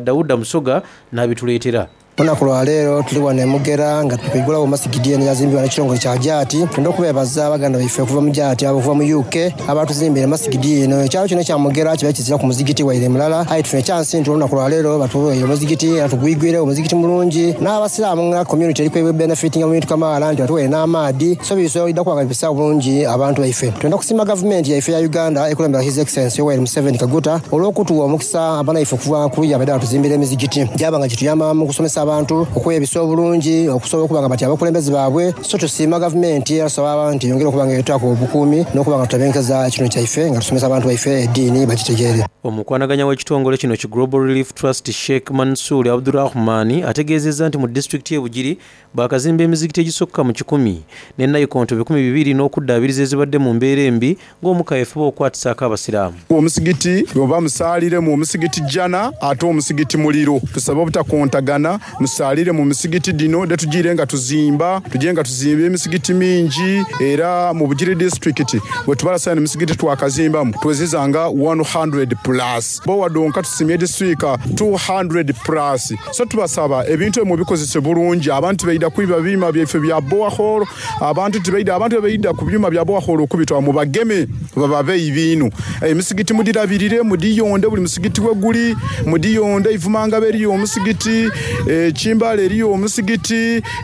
Dauda Musoga n'abituleetera. Olunaku lwa leero tuli wano e Mugera nga twigulawo masigidi eno eyazimbibwa n'ekitongole kya Jaati. Twenda okubeebaza baganda baife okuva mu Jaati abo okuva mu UK abaatuzimbira masigidi eno. Ekyalo kino ekya Mugera kibaire kiziraku muzigiti waire mulala aye tufunye kyansi nti olunaku lwa leero batuweire omuzigiti era tugwigwiregho omuzigiti mulungi. N'abasiraamu nga community eri kwebenefitinga mu bintu kamaala nti batuweire n'amaadhi so bisobola okuba nga bibisa bulungi abantu baife. Twenda kusiima gavumenti yaife eya Uganda ekulemberwa His Excellency Yoweri Museveni Kaguta olw'okutuwa omukisa banaife okuva ku luya baidha batuzimbira emizigiti gyaba nga gituyamba mu kusomesa abantu okwebisa obulungi okusobola okuba nga batya abakulembeze baabwe. So tusiima gavumenti era tusaba abantu eyongere okuba nga etutaku obukuumi n'okuba nga tutebenkeza ekitundu kyaife nga tusomesa abantu baife eddiini bagitegeere. Omukwanaganya w'ekitongole kino ki Global Relief Trust Sheikh Mansour Abdurahman ategeezezza nti mu disitulikiti y'e Bugiri baakazimba emizikiti egisukka mu kikumi ne nayikonto 200 n'okuddaabiriza ezibadde mu mbeera embi ng'Omukama efuba okukwatisaako Abasiraamu. Omusigiti oba musaalire mu omusigiti jana ate omusigiti muliro. Tusaba obutakontagana, musaalire mu misigiti dhino dhe tujiire nga tuzimba, tujire nga tuzimba emisigiti mingi era mu Bugiri disitulikiti bwetubala saino emisigiti twakazimbamu tuweziza nga 100 plus. Bowa dhonka tusimye edhiswika 200 plus. So tubasaba ebintu ebyo mubikozese bulungi, abantu tibaidha kwiba byuma byaife bya borehole, abantu tibaidha, abantu bwebaidha ku byuma bya borehole okubitwala mubageme bababe ibiinu. Emisigiti mudhirabirire, mudhiyonde buli musigiti weguli, mudhiyonde. Ivumangabo eriyo omusigiti, e Kimbale eriyo omusigiti,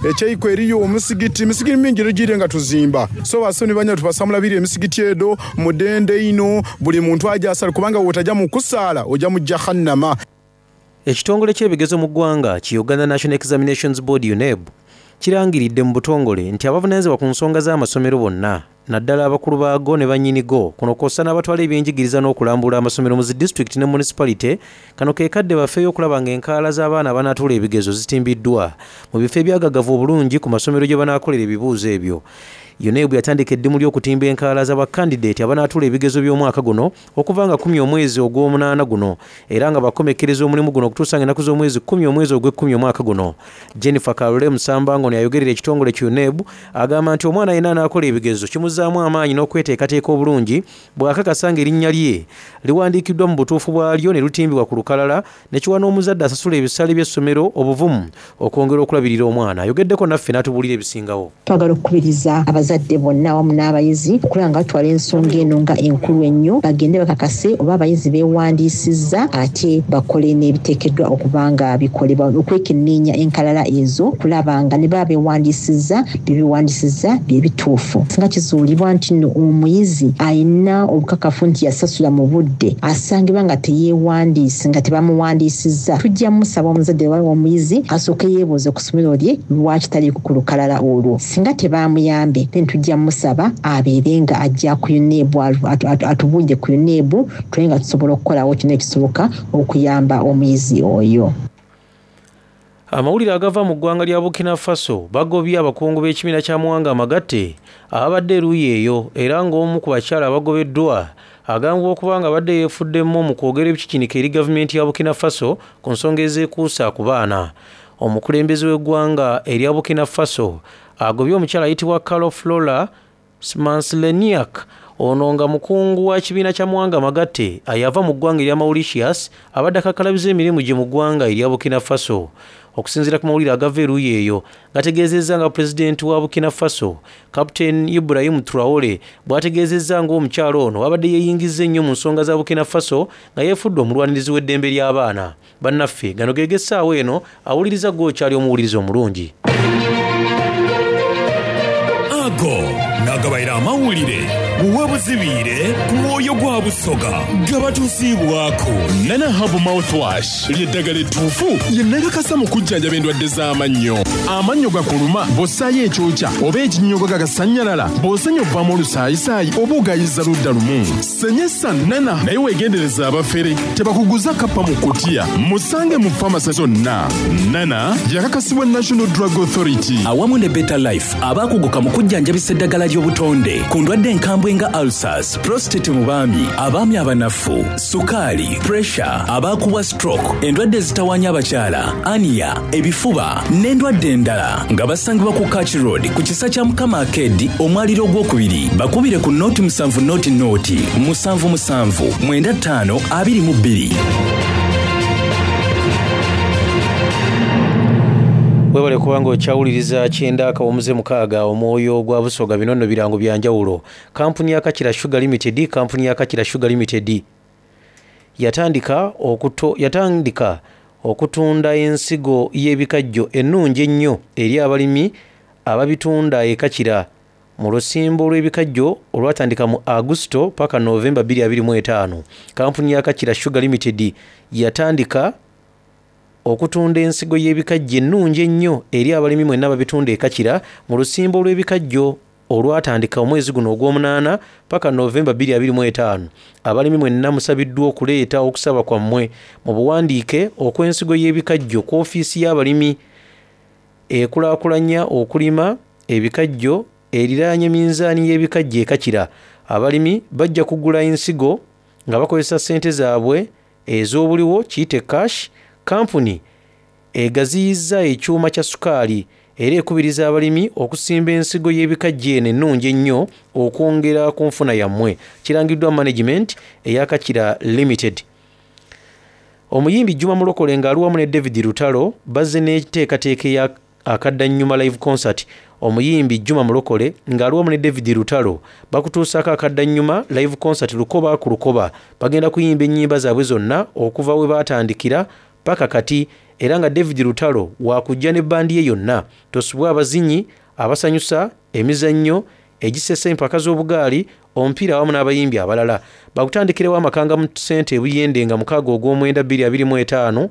e Kyeikwe eriyo omusigiti, emisigiti mingi edhigire nga tuzimba. So basebo ni banyabo tubasaba mulabirire emisigiti edho, mudhende inho, buli muntu aje asale kubanga bwotaja mu kusaala oja mu Jahannama. Ekitongole ky'ebigezo mu ggwanga ki Uganda National Examinations Board, UNEB, Kirangiridde mu butongole nti abavunaanyizibwa ku nsonga z'amasomero bonna naddala abakulu baago ne bannyinigo kuno kw'ossa n'abatwala ebyenjigiriza n'okulambula amasomero mu zi disitulikiti ne munisipalite kano ke kadde bafeeyo okulaba ng'enkalala z'abaana abanaatuula ebigezo zitimbiddwa mu bifo ebyagagavu obulungi ku masomero gye banaakolera ebibuuzo ebyo. UNEB yatandika eddimu ly'okutimba enkalala za bakkandideeti abanaatuula ebigezo by'omwaka guno okuva nga kkumi omwezi ogw'omunaana guno era nga bakomekkereza omulimu guno okutuusa nga ennaku z'omwezi kkumi omwezi ogw'ekkumi omwaka guno. Jennifer Kalule Musamba ng'ono y'ayogerera ekitongole ki UNEB agamba nti omwana yenna anaakola ebigezo kimuzzaamu amaanyi n'okweteekateeka obulungi bw'akakasa ng'erinnya lye liwandiikiddwa mu butuufu bwalyo ne lutimbibwa ku lukalala ne kiwa n'omuzadde asasula ebisale by'essomero obuvumu okwongera okulabirira omwana. Ayogeddeko naffe n'atubuulira ebisingawo. Twagala okukubiriza abazadde bonna awamu n'abayizi okulaba nga batwala ensonga eno nga enkulu ennyo bagende bakakase oba abayizi beewandiisizza ate bakole n'ebiteekeddwa okuba nga bikolebwa okwekenneenya enkalala ezo okulaba nga ne baba beewandiisizza bye beewandiisizza bye bituufu. Singa kizuulibwa nti nno omuyizi alina obukakafu nti yasasula mu budde asangibwa nga teyeewandiise nga tebamuwandiisizza, tujja musaba omuzadde oba omuyizi asooke yeebuuze ku ssomero lye lwaki taliiko ku lukalala olwo. Singa tebaamuyambe then tujja musaba abeere nga ajja ku UNEB atubuulire ku UNEB tulabe nga tusobola okukolawo kyonna ekisoboka okuyamba omuyizi oyo. Amawulire agava mu ggwanga lya Burkina Faso bagobye abakungu b'ekibiina ky'amawanga amagatte ababadde eruuyi eyo era ng'omu ku bakyala abagobeddwa agambibwa okuba nga abadde yeefuddemu mu kwogera ebikikinika eri gavumenti ya Burkina Faso ku nsonga ezeekuusa ku baana. Omukulembeze w'eggwanga erya Burkina Faso agobye omukyala ayitibwa Carol Flora Smansleniak ono nga mukungu wa kibiina ky'amawanga amagatte ayava mu ggwanga erya Mauritius abadde akakkalabiza emirimu gye mu ggwanga erya Burkina Faso. Okusinziira ku mawulire agava eruuyi eyo gategeezezza nga pulezidenti wa Burkina Faso Captain Ibrahim Traore bw'ategeezezza ng'omukyala ono abadde yeeyingizza ennyo mu nsonga za Burkina Faso nga yeefudde omulwanirizi w'eddembe ly'abaana. Bannaffe gano ge g'essaawa eno awuliriza ggwe okyali omuwuliriza omulungi. Ago n'agabaire amawulire webuzibiire ku mwoyo gwa Busoga gabatuusiibwaku Nana Herbal Mouthwash ly'eddagala ettuufu lye nakakasa mu kujjanjaba endwadde z'amannyo. Amannyo gakuluma bw'ossaayo ekyokya oba ekinnyogoga gagasannyalala, bw'osenya ovaamu olusaayisaayi oba ogayiza ludda lumu. Senyesa Nana naye weegendereze abafere tebakuguza kappa mu kutiya. Musange mu famase zonna. Nana yakakasibwa National Drug Authority. Awamu ne Better Life abaakuguka mu kujjanjabisa eddagala ly'obutonde ku ndwadde enkambwe nga ulcers, prostate mu baami, abaami abanafu, sukaali, pressure, abaakubwa stroke, endwadde ezitawaanya abakyala, ania, ebifuba n'endwadde endala nga basangibwa ku Kach Road ku kisa kya Mukama Arcade omwaliro ogwokubiri. Bakubire ku nooti musanvu nooti nooti musanvu musanvu mwenda ttaano abiri mu bbiri. Webale kuba nga okyawuliriza kyenda akawumuze mukaaga omwoyo gwa Busoga. Bino nno birango bya njawulo. Kampuni ya Kakira Sugar Limited, kampuni ya Kakira Sugar Limited yatandika okuto, yatandika okutunda ensigo y'ebikajjo ennungi ennyo eri abalimi ababitunda e Kakira mu lusimbo lw'ebikajjo olwatandika mu Agusto paka Novemba bbiri abiri mu etaano. Kampuni ya Kakira Sugar Limited yatandika okutunda ensigo y'ebikajjo ennungi ennyo eri abalimi mwenna ababitunda e Kakira mu lusimbo lw'ebikajjo olwatandika omwezi guno ogw'omunaana paka Novemba bbiri abiri mu etaano. Abalimi mwenna musabiddwa okuleeta okusaba kwammwe mu buwandiike okw'ensigo y'ebikajjo ku ofiisi y'abalimi ekulaakulanya okulima ebikajjo eriraanye minzaani y'ebikajjo e Kakira. Abalimi bajja kugula ensigo nga bakozesa ssente zaabwe ez'obuliwo kiyite cash. Kampuni egaziyizza ekyuma kya sukaali era ekubiriza abalimi okusimba ensigo y'ebikajjo eno ennungi ennyo okwongera ku nfuna yammwe. Kirangiddwa management eya Kakira Limited. Omuyimbi Juma Mulokole ng'ali wamu ne David Lutalo bazze n'enteekateeka eya Akaddannyuma live concert. Omuyimbi Juma Mulokole ng'ali wamu ne David Lutalo bakutuusaako Akaddannyuma live concert lukoba ku lukoba. Bagenda kuyimba ennyimba zaabwe zonna okuva we baatandikira paka kati era nga David Lutalo waakujja ne bbandi ye yonna. Tosubwa abazinyi abasanyusa, emizannyo egisesa, empaka z'obugaali, omupiira awamu n'abayimbi abalala. Bakutandikirewo amakanga mu ssente e Buyende nga mukaaga ogw'omwenda bbiri abiri mu etaano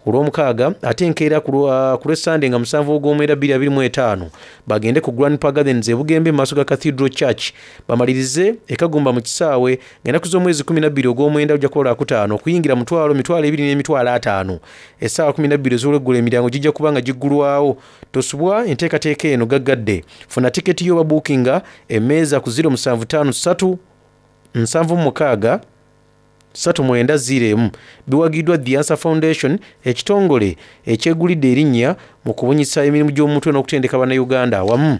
ku Lwomukaaga ate enkeera ku lw'Essande nga musanvu Ogwomwenda 2025 bagende ku Grandpa Gardens e Bugembe mu maaso ga Cathedral Church bamalirize e Kagumba mu kisaawe ng'ennaku z'omwezi 12 Ogwomwenda lujja kuba Lwakutaano okuyingira mutwalo, 20,000 n'emitwalo ataano. Essaawa 12 ez'olweggulo emiryango gijja kuba nga giggulwawo. Tosubwa enteekateeka eno gaggadde. Funa tiketi yo oba buukinga emmeeza ku 0753 76 39 01. Biwagiddwa The Answer Foundation, ekitongole ekyegulidde erinnya mu kubunyisa emirimu gy'omutwe n'okutendeka Bannayuganda awamu.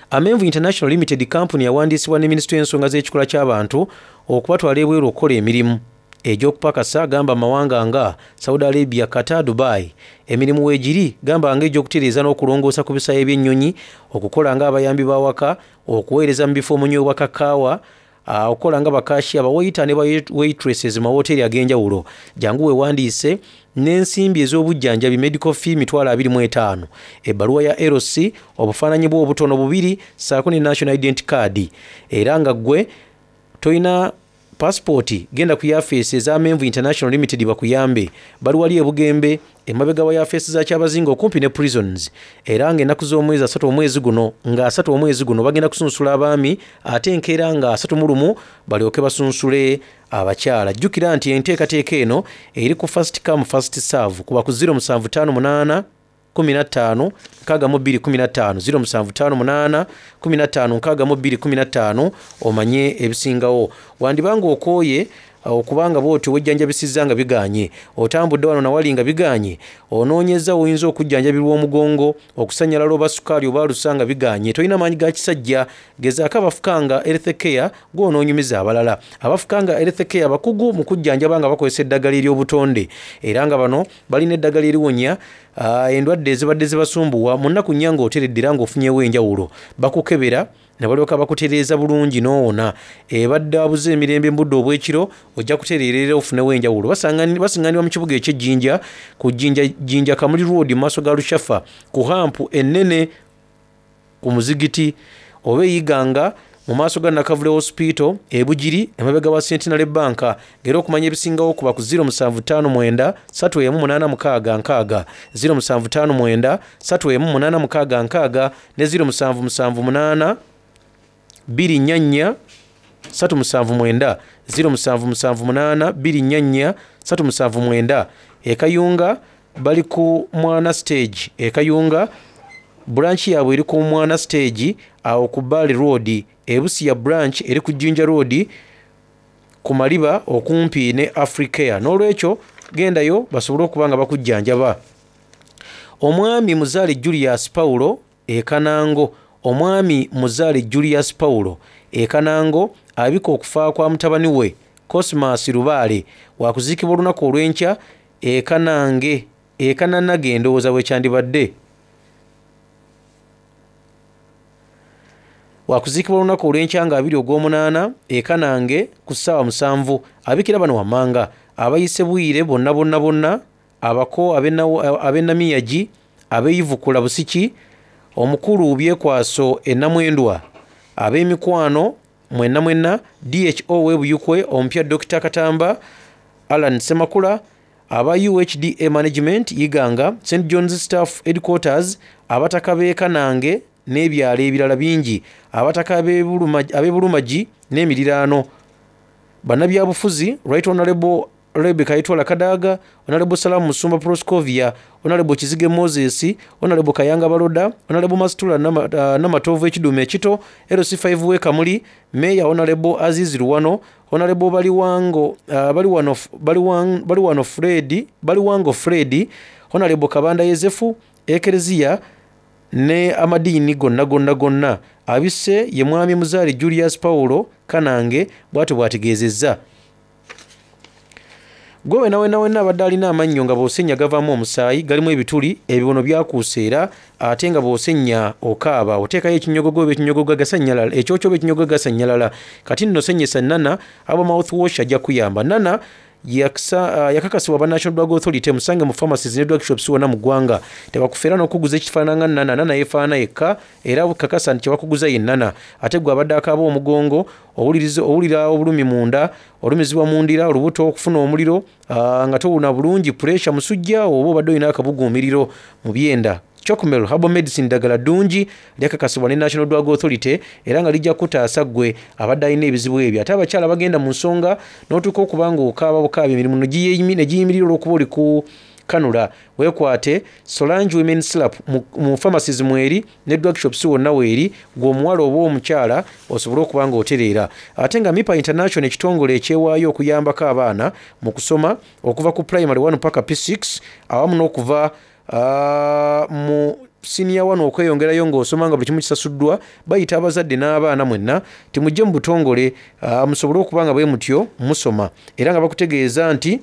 Amenvu International Limited kkampuni yawandiisibwa ne minisitule y'ensonga z'ekikula ky'abantu okubatwala ebweru okukola emirimu egy'okupakasa gamba mawanga nga Saudi Arabia, Qatar, Dubai. Emirimu weegiri gamba nga egy'okutereeza n'okulongoosa ku bisaawe by'ennyonyi, okukola ng'abayambi b'awaka, okuweereza mu bifo omunywebwa kakaawa, okukola nga bakashiya, baweyita ne ba waitresses mu mawoteeri ag'enjawulo. Jangu weewandiise n'ensimbi ez'obujjanjabi medical fee 25,000, ebbaluwa ya LC, obufaananyi bwo obutono bubiri ssaako ne National Identity Card. Era nga ggwe tolina paasipooti genda ku yafeesi eza Menvu International Limited bakuyambe. Bali wali e Bugembe emabega wa yafeesi za Kyabazinga okumpi ne Prisons. Era ng'ennaku z'omwezi asatu omwezi guno nga asatu omwezi guno bagenda kusunsula abaami ate enkeera nga 31 balyoke basunsule abakyala. Jjukira nti enteekateeka eno eri ku first come first serve kuba ku 0758 15 62 15 0758 15 62 15 omanye ebisingawo. Wandiba ng'okooye okubanga bw'otyo wejjanjabisizza nga biganye, otambudde wano nawali nga biganye, onoonyezza w'oyinza okujjanjabirwa omugongo, okusannyalala oba sukaali oba alusa nga biganye, tolina maanyi ga kisajja, gezaako abafukanga Health Care gw'onoonyumiza abalala. Abafukanga Health Care bakugu mu kujjanjaba nga bakozesa eddagala ery'obutonde era nga bano balina eddagala eriwonya endwadde ezibadde zibasumbuwa mu nnaku nnya ng'oteredde era ng'ofunyeewo enjawulo. Bakukebera ne balyoka bakutereeza bulungi n'owona. Ebadde abuze emirembe mu budde obw'ekiro ojja kutereera era ofunewo enjawulo. Basingaanibwa mu kibuga eky'e Jinja ku Jinja Jinja Kamuli Road mu maaso ga Lushafa ku hampu ennene ku muzigiti oba e Iganga mu maaso ga Nakavule Hospital e Bugiri emabega wa Centenary Bank ng'era okumanya ebisingawo kuba ku 0759 31 86 60 0759 31 86 ne 0778 244 379 0778 244 379. E Kayunga bali ku Mwana Stage e Kayunga branch yaabwe eri ku Mwana Stage awo ku Bale Road. E Busia branch eri ku Jinja Road ku Maliba okumpi ne Africare. N'olwekyo gendayo basobole okuba nga bakujjanjaba. Omwami Muzaale Julius Paulo e Kanango Omwami Muzaale Julius Paulo e Kanango abika okufa kwa mutabani we Cosmas Lubaale wakuziikibwa olunaku olw'enkya e Kanange e Kananage ndowooza bwe kyandibadde. Wakuziikibwa olunaku olw'enkya nga abiri ogw'omunaana e Kanange ku ssaawa musanvu. Abikira bano wammanga abayise Bwire bonna bonna bonna abako ab'e Namiyagi ab'e Busiki omukulu Byekwaso e Namwendwa ab'emikwano mwenna mwenna DHO w'e Buyukwe omupya Dr. Katamba Allan Ssemakula aba UHDA Management Iganga St John's Staff Headquarters abataka b'e Kanange n'ebyalo ebirala bingi abataka ab'e Bulumagi n'emiriraano bannabyabufuzi Right Honorable Rebecca Itwala Kadaga, Honorable Salamu Musumba Proscovia, Honorable Kizige Moses, Honorable Kayanga Baloda, Honorable Mastula Namatovu Ekidume Ekito, LC5 we Kamuli, Mayor Honorable Aziz Luwano, Honorable Baliwango Baliwano Baliwang, Baliwano Fred, Baliwango Fred, Honorable Kabanda Yezefu, Ekereziya ne amadiini gonna gonna gonna. Abisse ye mwami Muzaale Julius Paulo Kanange bw'atyo bw'ategeezezza. Gwe wena wena wena abadde alina amannyo nga bw'osennya gavaamu omusaayi, galimu ebituli, ebibono byakuuse era ate nga bw'osennya okaaba, oteekayo ekinyogogo oba ekinyogoga gasannyalala, ekyokyo oba ekinyogoga gasannyalala. Kati nno sennyesa Nana aba mouthwash ajja kuyamba. Nana Yakakasibwa aba National Drug Authority musange mu pharmacies ne drug shops wonna mu ggwanga. Tebakufera n'okukuguza ekifaanana nga Nana. Nana yeefaanana yekka era kakasa nti kye bakuguza ye Nana. Ate ggwe abadde akaaba omugongo, owulira obulumi munda, olumizibwa mu ndira, olubuto, okufuna omuliro nga towuna bulungi, puleesa, musujja oba obadde olina akabuguumiriro mu byenda. Chocmel Herbal Medicine ddagala ddungi lyakakasibwa ne National Drug Authority era nga lijja kukutaasa ggwe abadde alina ebizibu ebyo. Ate abakyala abagenda mu nsonga n'otuuka okuba ng'okaaba bukaabi emirimu ne giyimirira olw'okuba oli ku kanula weekwate Solange Women Slap mu pharmacies mweri ne drug shops wonna weeri ggwe omuwala oba omukyala osobole okuba ng'otereera. Ate nga Mipa International ekitongole ekyewaayo okuyambako abaana mu kusoma okuva ku Primary 1 paka P6 awamu n'okuva mu siniya wano okweyongerayo ng'osoma nga buli kimu kisasuddwa bayita abazadde n'abaana mwenna timujje mu butongole musobole okuba nga bwe mutyo musoma era nga bakutegeeza nti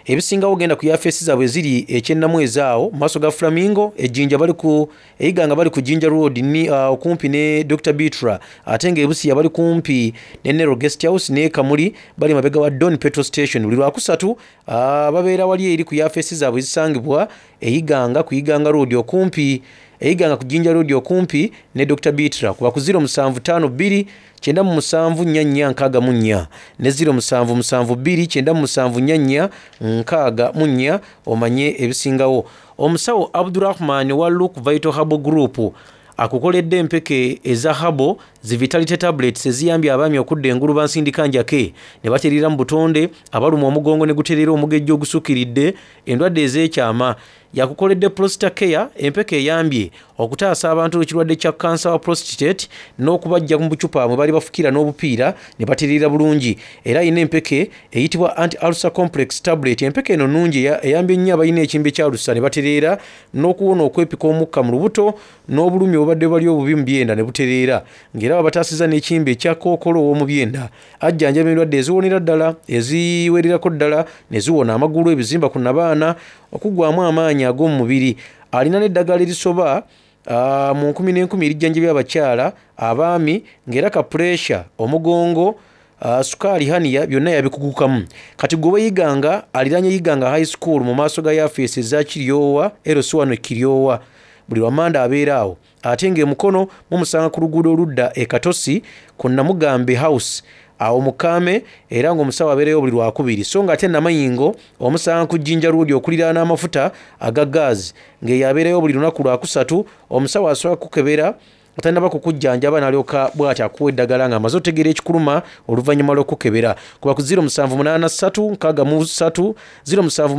ebisingawo genda ku yafeesi zaabwe eziri ekyennamwezi awo mu maaso ga Flamingo ejjinja bali ku Eiganga bali ku Jinja Road ni okumpi ne Dr Bitra ate nga ebusiya bali kumpi ne Nero Guest House ne Kamuli bali mabega wa Don Petrol Station buli lwakusatu babeera wali eri ku yafeesi zaabwe ezisangibwa e Iganga ku Iganga Road okumpi e Iganga ku Jinja Road okumpi ne Dr Bitra kuba ku 0752 97 44 64 ne 0772 97 44 64 omanye ebisingawo. Omusawo Abdurahman wa Luke Vital Herbal Group akukoledde empeke eza Herbal zi Vitality Tablets eziyambye abaami okudda engulu bansindika njake ne batereera mu butonde, abalumwa omugongo ne gutereera omugejjo ogusukkiridde, endwadde ez'ekyama. Yakukoledde Prostacare, empeke eyambye okutaasa abantu ekirwadde kya kkansa wa prostate n'okubaggya mu bucupa mwe baali bafukira n'obupiira ne batereera bulungi. Era alina empeke eyitibwa Anti Ulcer Complex Tablet. Empeke eno nnungi eyambye nnyo abalina ekimbe kya alusa ne batereera n'okuwona okwepika omukka mu lubuto n'obulumi obubadde bali obubi mu byenda ne butereera ng'era babataasizza n'ekimbe ekya kookolo ow'omu byenda. Ajjanjaba endwadde eziwonera ddala, eziwererako ddala ne ziwona, amagulu, ebizimba ku nnabaana, okuggwaamu amaanyi ag'omu mubiri. Alina n'eddagala erisoba mu nkumi n'enkumi erijjanjabya abakyala, abaami ng'era ka puleesa, omugongo, sukaali, haniya byonna yabikugukamu. Kati gwe ow'e Iganga aliraanye Iganga High School mu maaso ga yafeesi eza Kiryowa LC1 e Kiryowa. Buli lwa Mmande abeera awo. Ate ng'e Mukono mumusanga ku luguudo oludda e Katosi ku Namugambe House awo mu Kaame era ng'omusawo abeerayo buli Lwakubiri. So ng'ate Namayingo omusanga ku Jinja Road okuliraana amafuta aga gaazi ng'eyo abeerayo buli lunaku Lwakusatu. Omusawo asooka kukukebera nga tannaba kukujjanjaba n'alyoka bw'ati akuwa eddagala ng'amaze otegeera ekikuluma oluvannyuma lw'okukukebera. Kuba ku 0783 63 0783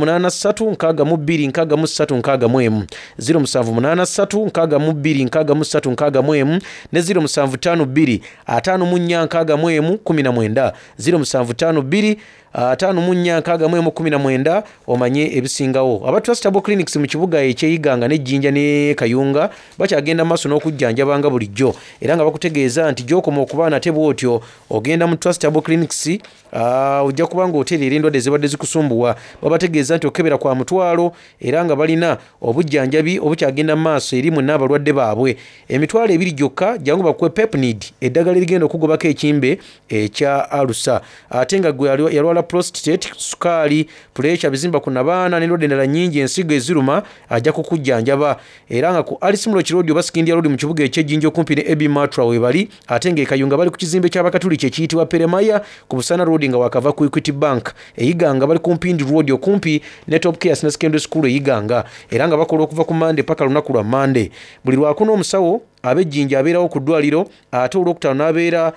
62 63 61, 0783 62 63 61 ne 0752 54 61 19, 0752 54 61 19 omanye ebisingawo. Aba Trustable Clinics mu kibuga eky'e Iganga ne Jinja ne Kayunga bakyagenda mu maaso n'okujjanjaba nga bulijjo era nga bakutegeeza nti gy'okoma okuba nate bw'otyo ogenda mu Trustable Clinics ojja kuba ng'otereera endwadde ezibadde zikusumbuwa. Babategeeza nti okukebera kwa mutwalo era nga balina obujjanjabi obukyagenda mu maaso eri mwenna abalwadde baabwe. Emitwalo ebiri gyokka jangu bakuwe Pepnid eddagala erigenda okugobako ekimbe ekya alusa. Ate nga gwe yalwala prostate, sukaali, puleesa, bizimba ku nabaana n'endwadde endala nnyingi ensigo eziruma ajja kukujjanjaba. Era nga ku Alice Muloki Road oba Sikindia Road mu kibuga eky'e Jinja okumpi ne AB Matra weebali. Ate ng'e Kayunga bali ku kizimbe ky'Abakatuliki ekiyitibwa Peremaya ku Busana Road nga waakava ku Equity Bank. E Iganga bali ku Mpindi Road okumpi ne Top Care Senior Secondary School e Iganga era nga bakola okuva ku Mmande paka lunaku lwa Mmande. Buli Lwakuna omusawo ab'e Jinja abeerawo ku ddwaliro ate Olwokutaano n'abeera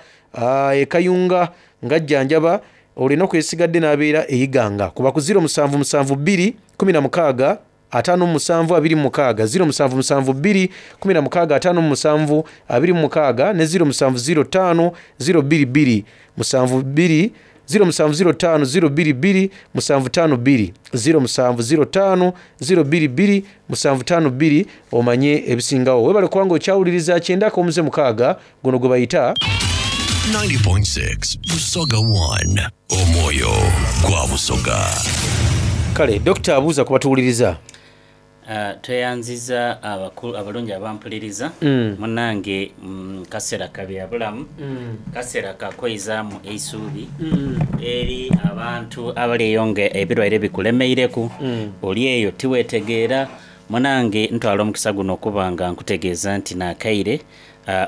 e Kayunga ng'ajjanjaba olwo ennaku ezisigadde n'abeera e Iganga. Kuba ku 0772 16 57 26, 0772 16 57 26 ne 0705 022 72, 0705 022 752, 0705 022 752 omanye ebisingawo. Webale kubanga okyawuliriza kyenda akomuze mukaaga guno gwe bayita 90.6 Busoga 1 Omwoyo gwa Busoga. Kale Dokita abuuza ku batuwuliriza. Tweyanziza abalungi abampuliriza. Munange kaseera ka bya bulamu, kaseera ka kweizaamu eisuubi eri abantu abali eyo nga ebirwaire bikulemeireku, oli eyo tiwetegeera. Munange ntwala omukisa guno okuba nga nkutegeeza nti nakaire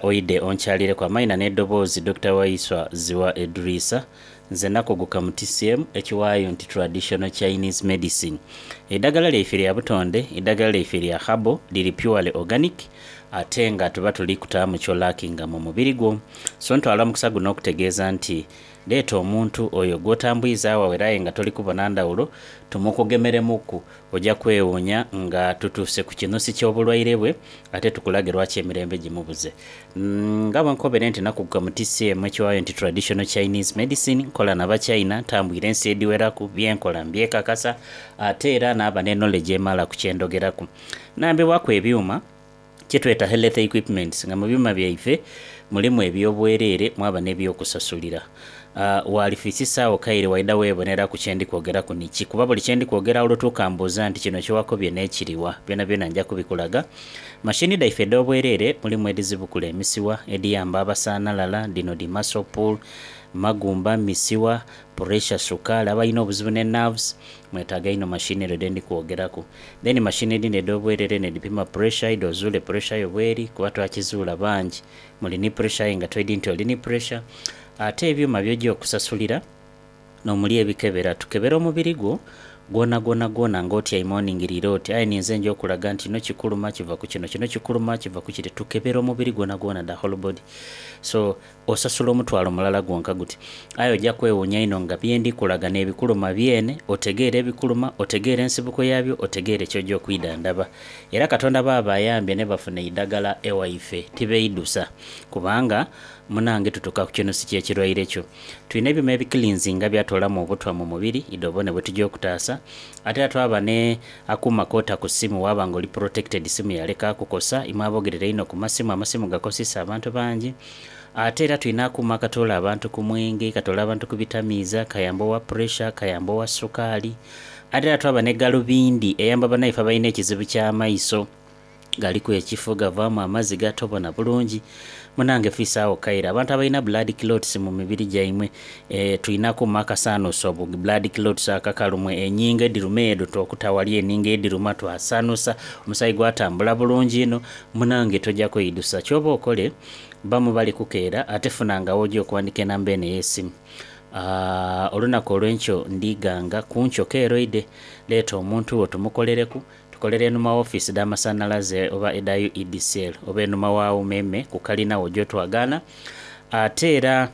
oidhe onkyalireku. Amaina n'edoboozi Dokita Waiswa Ziwa Edrisa. Nze nakuguka mu TCM ekiwaayo nti Traditional Chinese Medicine. Eidagala lyaife lya butonde, eidagala lyaife lya herbal, liri purely organic ate nga tuba tuli kutaamu ky'olakinga mu mubiri gwo. So ntwala omukisa guno okutegeeza nti leeta omuntu oyo gw'otambwiza agho era aye nga toli kubona ndhawulo tumukugemeremuku Oja kwewuunya nga tutuuse ku kinusi ky'obulwaire bwe ate tukulage lwaki emirembe gimubuze. Nga bwe nkobere nti nakuguka mu TCM ekiwaayo nti Traditional Chinese Medicine, nkola na Bachina, ntambwire ensi edhiweraku, bye nkola mbyekakasa ate era naaba ne knowledge emala ku kye ndhogeraku. Nambibwaku ebyuma kye tweta Health Equipments nga mu byuma byaife mulimu eby'obwereere mwaba n'eby'okusasulira. Walifiisisa agho kaire waidha weeboneraku kye ndi kwogeraku ni ki, kuba buli kye ndi kwogera olutuuka mbuuza nti kino kye wakobye n'ekiriwa? Byonabyona nja kubikulaga. Mashini dhaife edh'obwereere mulimu edhizibukula emisiwa, edhiyamba abasanhalala, dhino dhi muscle pull, magumba, misiwa, puresha, sukaali, abalina obuzibu ne nerves, mwetaaga inho mashini edho dhe ndi kwogeraku. Then mashini edhindi edh'obwerere n'edhipima puresha, idho ozuule puresha yo bweri kuba twakizuula bangi muli ni puresha aye nga toidhi nti oli ni puresha. Ate ebyuma by'oja okusasulira n'omuli ebikebera. Tukebera omubiri gwo gwonagwonagwona ng'otyaime oningiriire oti, Aye ninze nja okulaga nti kino kikuluma kiva ku kino, kino kikuluma kiva ku kire. Tukebera omubiri gwonagwona, the whole body. So, osasula omutwalo mulala gwonka guti. Aye oja kwewuunya inho nga bye ndi kulaga n'ebikuluma byene, otegeere ebikuluma, otegeere ensibuko yaabyo, otegeere ky'oja okwidhandhaba. Era Katonda bw'aba ayambye ne bafuna eidagala ewaife, tibeidhusa. Kubanga Munange tutuka ku kinusi ky'ekirwaire kyo. Twina ebyuma ebiklinzinga byatoolamu obutwa mu mubiri idho obone bwetuja okutaasa. Ate era twaba ne akuuma k'ota ku simu waaba nga oli protected simu yaleka kukosa. Imwe abogerera einho ku masimu, amasimu gakosisa abantu bangi. Ate era twina akuuma akatoola abantu ku mwenge, katoola abantu ku bitamiiza, kayamba owa pressure, kayamba owa sukaali. Ate era twaba ne galubindi eyamba banaife abalina ekizibu ky'amaiso. Galiku ekifo gavaamu amaziga tobona bulungi. Munange fiisaagho kaire. Abantu abalina blood clots mu mibiri gyaimwe tulina akuuma akasaanuusa obu blood clots akakalu mwe enyingo edhiruma edho twokuta wali eningo edhiruma twasaanuusa omusaayi gwatambula bulungi inho. Munange toja kweidhusa. Kyoba okole ba mubali kukeera ate funa nga woja okuwandika enamba eno ey'esimu. Olunaku olwenkyo ndhiganga kunkyo keera oidhe leeta omuntu wo tumukolereku. Tukolera enhuma w'ofiisi dh'amasanhalaze oba edha UEDCL oba enhuma wa Umeme ku kalina wo gy'otwagaana. Ate era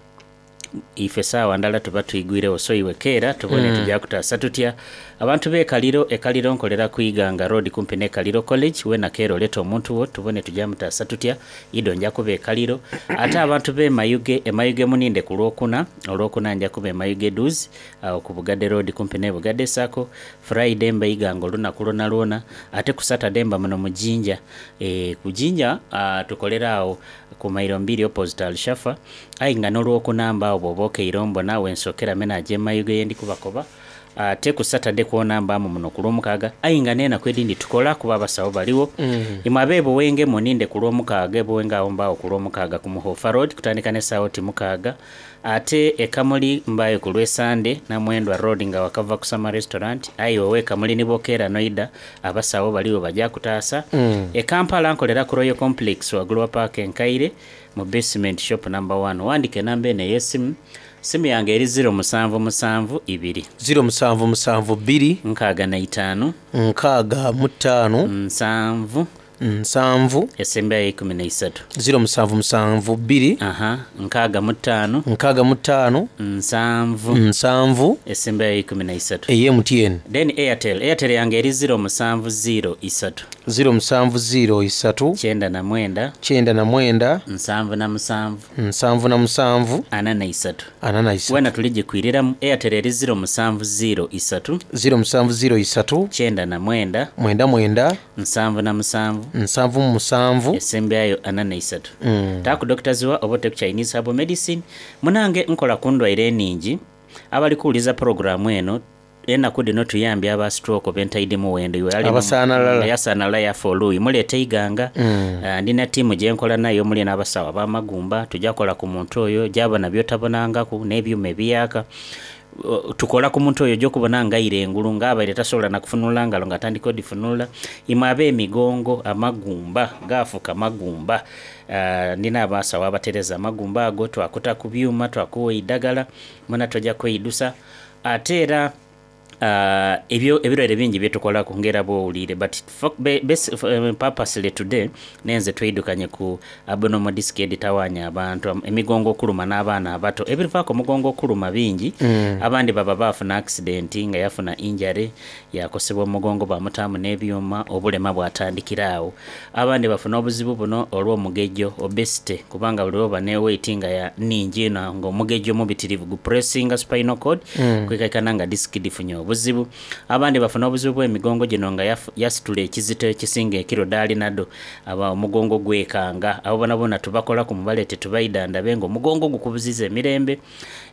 ife saawa ndala tuba twigwiregho so iwe keera tubone tuja kutaasa tutya. Abantu b'e Kaliro, e Kaliro nkolera ku Iganga Road kumpi n'e Kaliro College, weena keera oleete omuntu wo tubone tuja mutaasa tutya. Idho nja kuba e Kaliro. Ate abantu b'e Mayuge, e Mayuge muninde ku Lwokuna, Olwokuna nja kuba e Mayuge Duuzi agho ku Bugadde Road kumpi n'e Bugadde Sacco. Friday mba Iganga olunaku lwonalwona ate ku Saturday mba muno mu Jinja. Eeh ku Jinja tukolera agho ku mailo mbiri opposite Al Shafa aye nga n'olwokuna mba agho bwoba okeire ombona wensokera me naja e Mayuge yendi kubakoba ate ku Saturday kwona mbamu muno ku Lwomukaaga aye nga n'enaku edhindi tukola kuba abasawo baligho. Imwe ab'e Buwenge muninde ku Lwomukaaga e Buwenge agho mba agho ku Lwomukaaga ku Muhoofa Road kutandika n'esaawa oti mukaaga. Ate e Kamuli mbayo ku lw'e Sande, Namwendwa Road nga wakava ku Sama Restaurant. Aye iwe ow'e Kamuli ni bw'okeera n'oidha, abasawo baligho baja kutaasa. E Kampala nkolera ku Royal Complex waggulu wa paaka enkaire mu basement shop number one. Wandika enamba eno ey'esimu. Simu yange eri ziro musanvu musanvu ibiri. Ziro musanvu musanvu bbiri. Nkaaga na itaanu. Nkaaga mu ttaanu. Nsanvu. Nsanvu. Esembayo eikumi na isatu. Ziro musanvu musanvu bbiri. Aha, 65. 65. Nsanvu. Nsanvu. Esembayo eikumi na isatu. Eye MTN. Then Airtel, Airtel yange eri ziro musanvu ziro isatu. Ziro musanvu ziro isatu. 99. 99. 77. 77. 43. 43. Weena tuligikwiriramu. Airtel eri ziro musanvu ziro isatu. Ziro musanvu ziro isatu. 99. 99. 77. 77. Esembyayo 43. Taaku Dokita Ziwa oba ote ku Chinese Herbal Medicine. Munange nkola ku ndwaire eningi. Abali kuwuliriza pulogulaamu eno Enaku dhino tuyambye aba stroke bentaidhi muwendo iwe ali Abasanalala. Yasanalala yafa oluuyi muleete eighanga. Mm. Ndina tiimu gyenkola nayo omuli n'abasawo ab'amagumba tuja kola ku muntu oyo gyabona byotabonangaku n'ebyuma ebiyaka. Tukola ku muntu oyo oja okubona nga aira engulu nga abaire tasobola na kufunula ngalo nga atandika odifunula. Imwe ab'emigongo amagumba gaafuuka magumba ndina abasawo abatereza amagumba ago twakuta ku byuma twakuwa eidagala mwena toja kweidusa. Ate era ebyo ebirwaire bingi byetukolaku nga era bwowulire but purposely today nenze tweidukanye ku abnormal disc editawanya abantu emigongo okuluma n'abaana abato. Ebivaaku omugongo okuluma bingi Mm. abandi baba baafuna accident nga yafuna injury yakosebwa omugongo bamutaamu n'ebyuma obulema bwatandikira agho. Abandi bafuna obuzibu buno olw'omugejjo obesity kubanga buli lwoba ne weight nga ya nhingi inho nga omugejjo mubitirivu gupressinga spinal cord Mm. kwikaikana nga disc dhifunye obuzibu. Abandi bafuna obuzibu bw'emigongo gino nga yasitula ekizito ekisinga ekiro dhaali nadho aba omugongo gwekanga. Abo bonabona tubakolaku mubaleete tubaidhandhabe nga omugongo gukubuziza emirembe.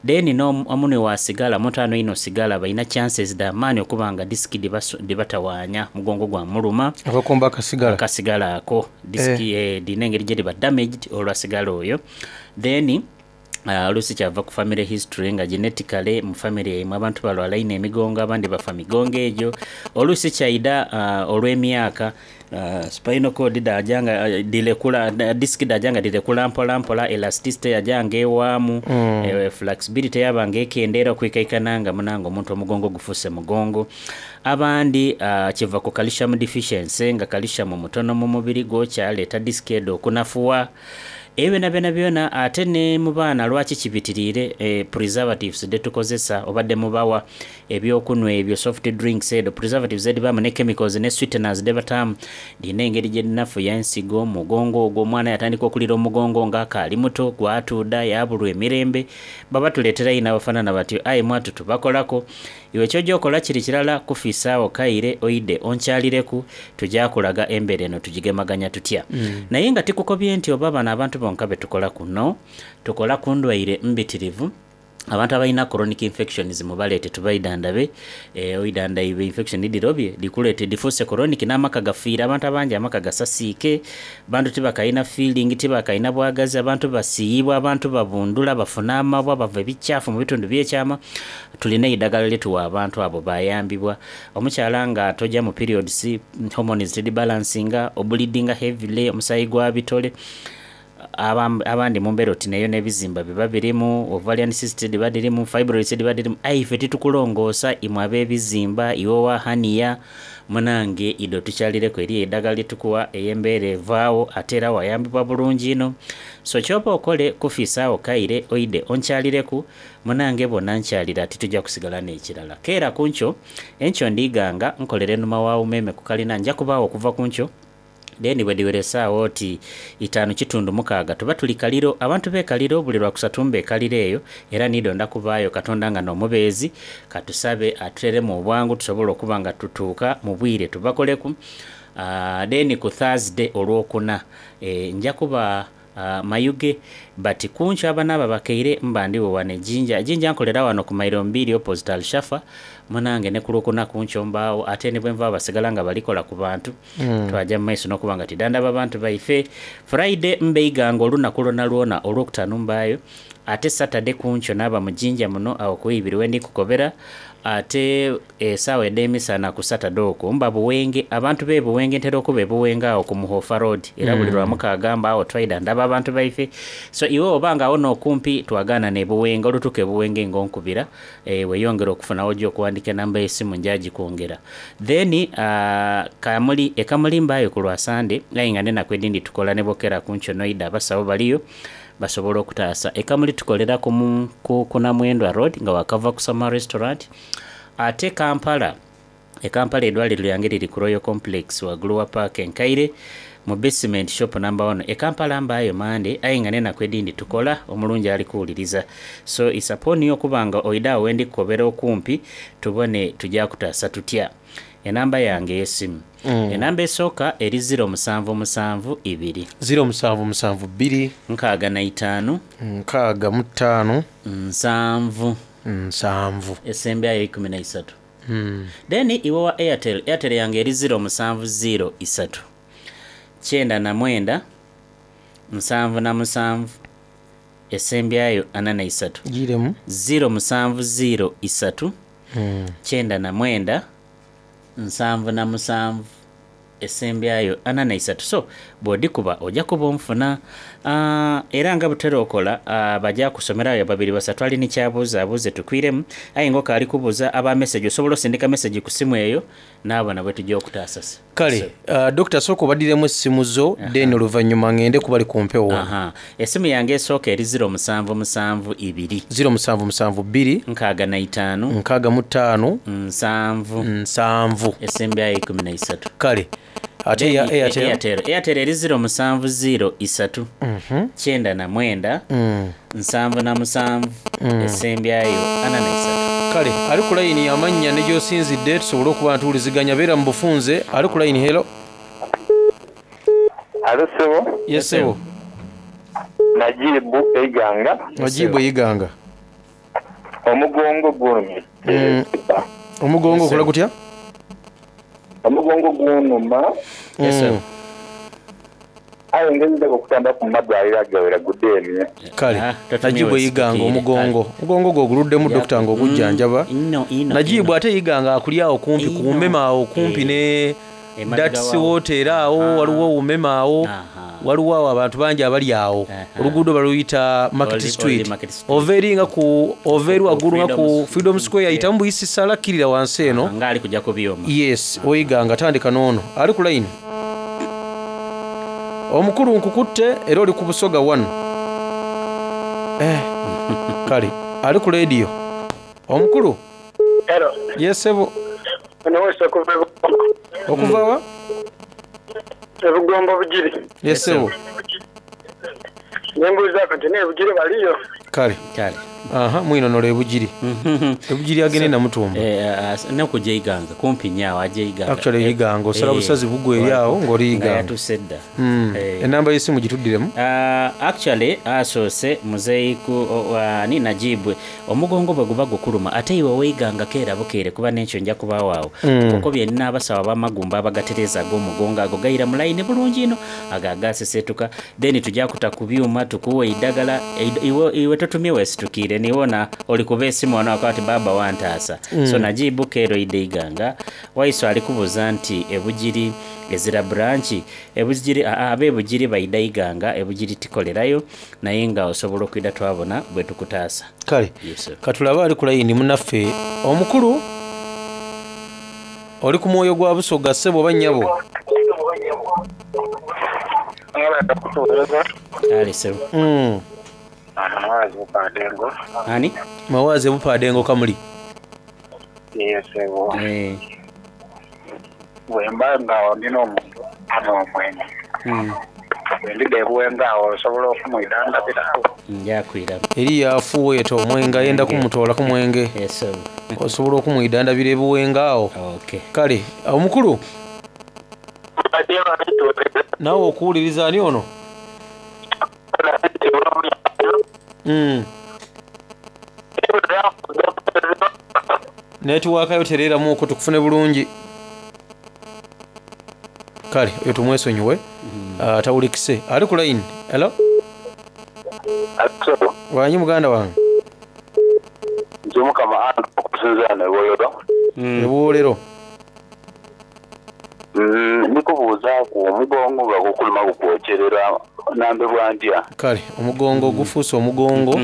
Then n'omunhwi wa sigala, omuntu anhwa einho sigala balina chances dha maani okuba nga disc dhibatawanya omugongo gwamuluma. Abakomba akasigala. Akasigala ako disc eh. Dhirina engeri gyedhiba damaged olwa sigala oyo. Then oluusi kyava ku family history nga genetically mu family yaimwe abantu balwala inho emigongo abandi bafa migongo egyo. Oluusi kyaidha olw'emyaka spinal cord dhaja nga dhirekula disc dhaja nga dhirekula mpola mpola elasticity yaja nga ewaamu Mm. flexibility yaba nga ekendeera okwikaikana nga munange omuntu omugongo gufuuse mugongo. Abandi kiva ku calcium deficiency nga calcium mutono mu mubiri gwo kyaleeta disc edho okunafuwa. Ebyo byonabyona byona ate ni mu baana lwaki kibitiriire preservatives dhetukozesa oba dhemubawa ebyokunhwa ebyo soft drinks edho preservatives edhibaamu ne chemicals ne sweeteners dhebataamu dhirina engeri gyedhinafuya ensigo, mugongo ogwo omwana yatandika okulira omugongo nga akaali muto gwatuudha yabulwa emirembe. Baba tuleetera inho abafanana batyo aye mwatu tubakolaku. Iwe kyoja okola kiri kirala kufiisaagho kaire oidhe onkyalireku tuja kulaga embeera eno tugigemaganya tutya. Mm. Naye nga tikukobye nti oba bano abantu bonka betukolaku no, tukola ku ndwaire mbitirivu. Abantu abalina chronic infections mubaleete tubaidhandhabe. Oidhandhaibe infection dhirobye dhikuleete dhifuuse chronic n'amaka gafiire abantu abangi amaka gasasiike, abantu tibakaina feeling, tibakaina bwagazi, abantu basiiyibwa, abantu babundhula, bafuna amabwa, bava ebikyafu mu bitundu by'ekyama. Tulina eidhagala lyetuwa abantu abo bayambibwa. Omukyala nga toja mu periods, hormones tidhibalansinga, obulidinga heavily, omusaayi gwa bitole, abandi mu mbeera oti n'eyo n'ebizimba biba birimu, ovarian cyst dhiba dhirimu, fibroids dhiba dhirimu, aye ife titukulongoosa imwe ab'ebizimba, iwe owa hernia, munange idho tukyalireku eriyo eidhagala lyetukuwa ey'embeera evaagho ate era wayambibwa bulungi inho. So kyoba okole kufiisaagho kaire oidhe onkyalireku munange bw'onankyalira tituja kusigala n'ekirala. Keera ku nkyo, enkyo ndiighanga nkolera enhuma wa Umeme ku kalina nja kubaagho okuva ku nkyo then bwedhiwera esaawa oti itaanu kitundu mukaaga tuba tuli Kaliro. Abantu b'e Kaliro buli Lwakusatu mba e Kaliro eyo era niidho kubaayo Katonda nga n'omubeezi. Katusabe atuteremu obwangu tusobole okuba nga tutuuka mu bwire tubakoleku. Then ku Thursday olwokuna nja kuba Mayuge but kunkyo abanaaba bakaire mba ndigho wano e Jinja. E Jinja nkolera wano ku mailo mbiri opposite Alshafa munange ne ku Lwokuna kunkyo mbaagho ate ni bwenvaagho basigala nga balikola ku bantu. Mm. Twaja mu maiso n'okuba nga tidhandhaba bantu baife. Friday mba Iganga olunaku lwonalwona, Olwokutaanu mbaayo ate Saturday kunkyo naaba mu Jinja muno agho ku ibiri wendi kukobera ate esaawa edh'emisana ku Saturday okwo mba Buwenge. Abantu b'e Buwenge ntera okuba e Buwenge agho ku Muhofa Road era buli Mm. Lwamukaaga mbaagho twaidhandhaba abantu baife. So iwe bw'oba nga agho n'okumpi twagaanana e Buwenge olutuuka e Buwenge nga onkubira weyongere okufuna w'oja okuwandiika enamba y'esimu nja gikwongera. Then Kamuli, e Kamuli mbaayo ku lwa Sande aye nga n'enaku edhindi tukola ni bwokera ku nkyo n'oidha abasawo baliyo basobola okutaasa. E Kamuli tukolera ku, ku, ku Namwendwa Road nga wakava ku Sama Restaurant. Ate Kampala, e Kampala eidwaliro lyange liri ku Royal Complex waigulu wa paaka enkaire mu basement shop number one. E Kampala mbaayo Mande aye nga n'enaku edhindi tukola omulungi ali kuwuliriza. So it's upon you okuba nga oidha agho wendi kukobera okumpi tubone tuja kutaasa tutya. Enamba yange ey'esimu. Mm. Enamba esooka eri ziro musanvu musanvu ibiri. 0772. 65. 65. Nsanvu. Nsanvu. Esembyayo 13. Then iwe wa Airtel, Airtel yange eri 0 musanvu 0 isatu 99 77 esembyayo 43. Giremu. 0 musanvu 0 isatu 99 77 esembyayo 43. So bw'odikuba ojja kuba onfuna. Era nga butera okola, bajja kusomerayo babiri basatu ali ni kyabuuza abuuze tukwiremu, aye nga okaali kubuuza aba message osobola osindika message ku simu eyo naabona bwe tujja okutaasasa. Kale Dokita, sooka obaddiremu essimu zo, then oluvannyuma ngende kubali ku mpewo wano. Aha. Essimu yange esooka eri 0772. 0772. 65. 65. 70. 70. Esembyayo 13. Kale ate ya Airtel? Airtel. Airtel eri 0703. 99. 77. Esembyayo 43. Kale ali ku layini, amannya ne gy'osinzidde tusobole okuba nga tuwuliziganya, beera mu bufunze. Ali ku layini, hello. Alo ssebo. Yes ssebo. Najibu Eiganga. Najibu Eiganga. Omugongo gunumye. Omugongo okola gutya? Omugongo gunuma. Yes sir. Aye ngezeza okutamba ku madwaliro agawera gudemye. Kale Najibu Eiganga, omugongo omugongo gwo oguluddemu, dokita ng'ogujjanjaba. Najibu ate Eiganga akuli awo kumpi ku Umeme, awo kumpi ne Dats Water, awo waliwo Umeme, awo waliwo awo abantu bangi abali awo. Oluguudo baluyita Market Street. Ova eri nga ku ova eri waggulu nga ku Freedom Square, yitamu buyisi sala, kkirira wansi eno. Nga ali kujja ku byuma. Yes, Oiganga, tandika n'ono ali ku line. Omukulu, nkukutte era oli ku Busoga 1. Kale ali ku radio, omukulu. Hello. Yes ssebo. Ono wese okuva e Bugombo. Okuva wa? E Bugombo Bugiri. Yes ssebo. Nembuuzaako nti naye Bugiri baliyo? Kale. Kale. Aha, mwinonola ebugiri. Ebugiri agende Namutumba. Nokujja Iganga kumpi nnyo awo, ajja Iganga. Actually Iganga osala busazi bugwa eri awo ng'oli Nga Iganga. yatuuse dda. Enamba y'essimu gituddiremu. Actually asoose muzeeyi ku ani Najibwe, omugongo bwe guba gukuluma, ate iwe weiganga keera bukeere, kuba n'ekyo nja kubaawo awo. Kuko byenina abasawo ab'amagumba abagatereeza ag'omugongo, ago gayira mu layini bulungi ino, ago agasesetuka, then tujja kuta ku byuma tukuwa eddagala. Iwe totumye, weesitukire niwona oli kuba esimu wano akoba ati baaba wantaasa. So Najibu, keero ide Iganga. Waiso ali kubuuza nti ebugiri ezira branch ebugiri. Ab'ebugiri baida Iganga, ebugiri tikolerayo, naye nga osobola okwida twabona bwe tukutaasa. Kale. Yes, sir. Katulabe ali ku layini, munaffe omukulu, oli ku mwoyo gwa Busoga, ssebo oba nnyabo. Kale ssebo. Mawazi Bupadengo. Ani? Mawazi Bupadengo, Kamuli. Yes ssebo. Bwemba nga ndina omuntu ano omwenge, bwendida ebuwenga awo osobola okumwidandabirawo? Njakwiramu. Eri yafuweeta omwenge, ayenda kumutoola ku mwenge. Osobola okumwidandabira ebuwenga awo? Kale omukulu, naawe okuwuliriza. Ani ono? Netiwaakayo tereeramuuko tukufune bulungi. Kale oyo tumwesonyiwe. Tawulikise. Ali ku line, hello, wanyi muganda wange. Nze Mukama anga okusinzira nebwoyero. Ebuwolero. Nikubuuzaaku omugongo nga gukuluma gukwokyerera, nambe bwandya. Kale omugongo gufuuse omugongo.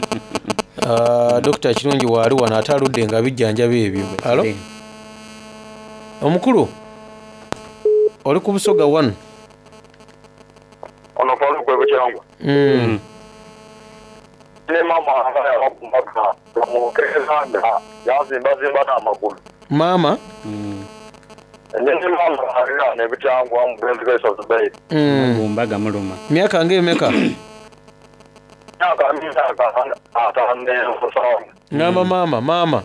Dokita Kirungi waali wano ate aludde nga bijjanjaba ebyo. Alo omukulu, oli ku Busoga 1. Ono Faluku ebukyangwa. Ne mama anga yabakumbaga bamukeeza nga yazimbazimba n'amagulu. Maama? Ne mama alira nebukyangwa mugenzi gaiso Zubairi. Magumba gamuluma. Myaka ng'emeka? Myaka 57. Ngamba maama, maama.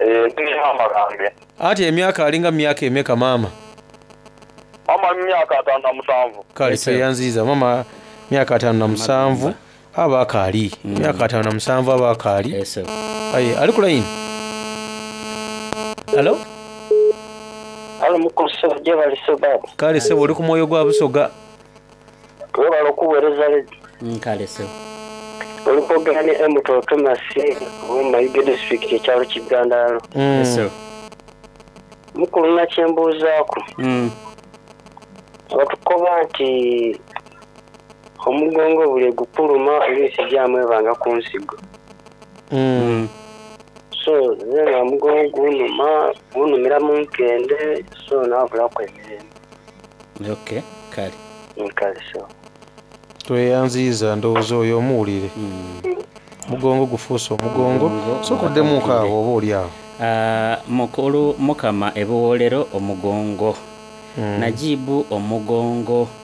Ndi mama gange. Ati emyaka alinga myaka emeka maama? Mama myaka 57. Kale tweyanziza mama, myaka 57 aba akaali, myaka 57 aba akaali. Aye ali ku layini. Alo? Alo mukulu ssebo gyebale ssebo baaba. Kale ssebo oli ku mwoyo gwa Busoga. Webale okuwereza lady. Kale ssebo. Oli kwogera ni Emuto Thomas owe Mayuge district ekyalo Kigandalo. Yes ssebo. Mukulu nina kyembuuzaku. Batukoba nti omugongo buli ghukuluma oluisi gyamu ebanga ku nsigo. So nze nga omugongo gunuma, gunumira mu nkende so nabulaku emirembe. Ok kale. Kale ssebo. Tweyanziiza ndowooza oyo omuwulire. Omugongo gufuuse omugongo. Sooka oddemuuku awo oba oli awo. Mukulu Mukama ebiwoolero omugongo. Najibu omugongo.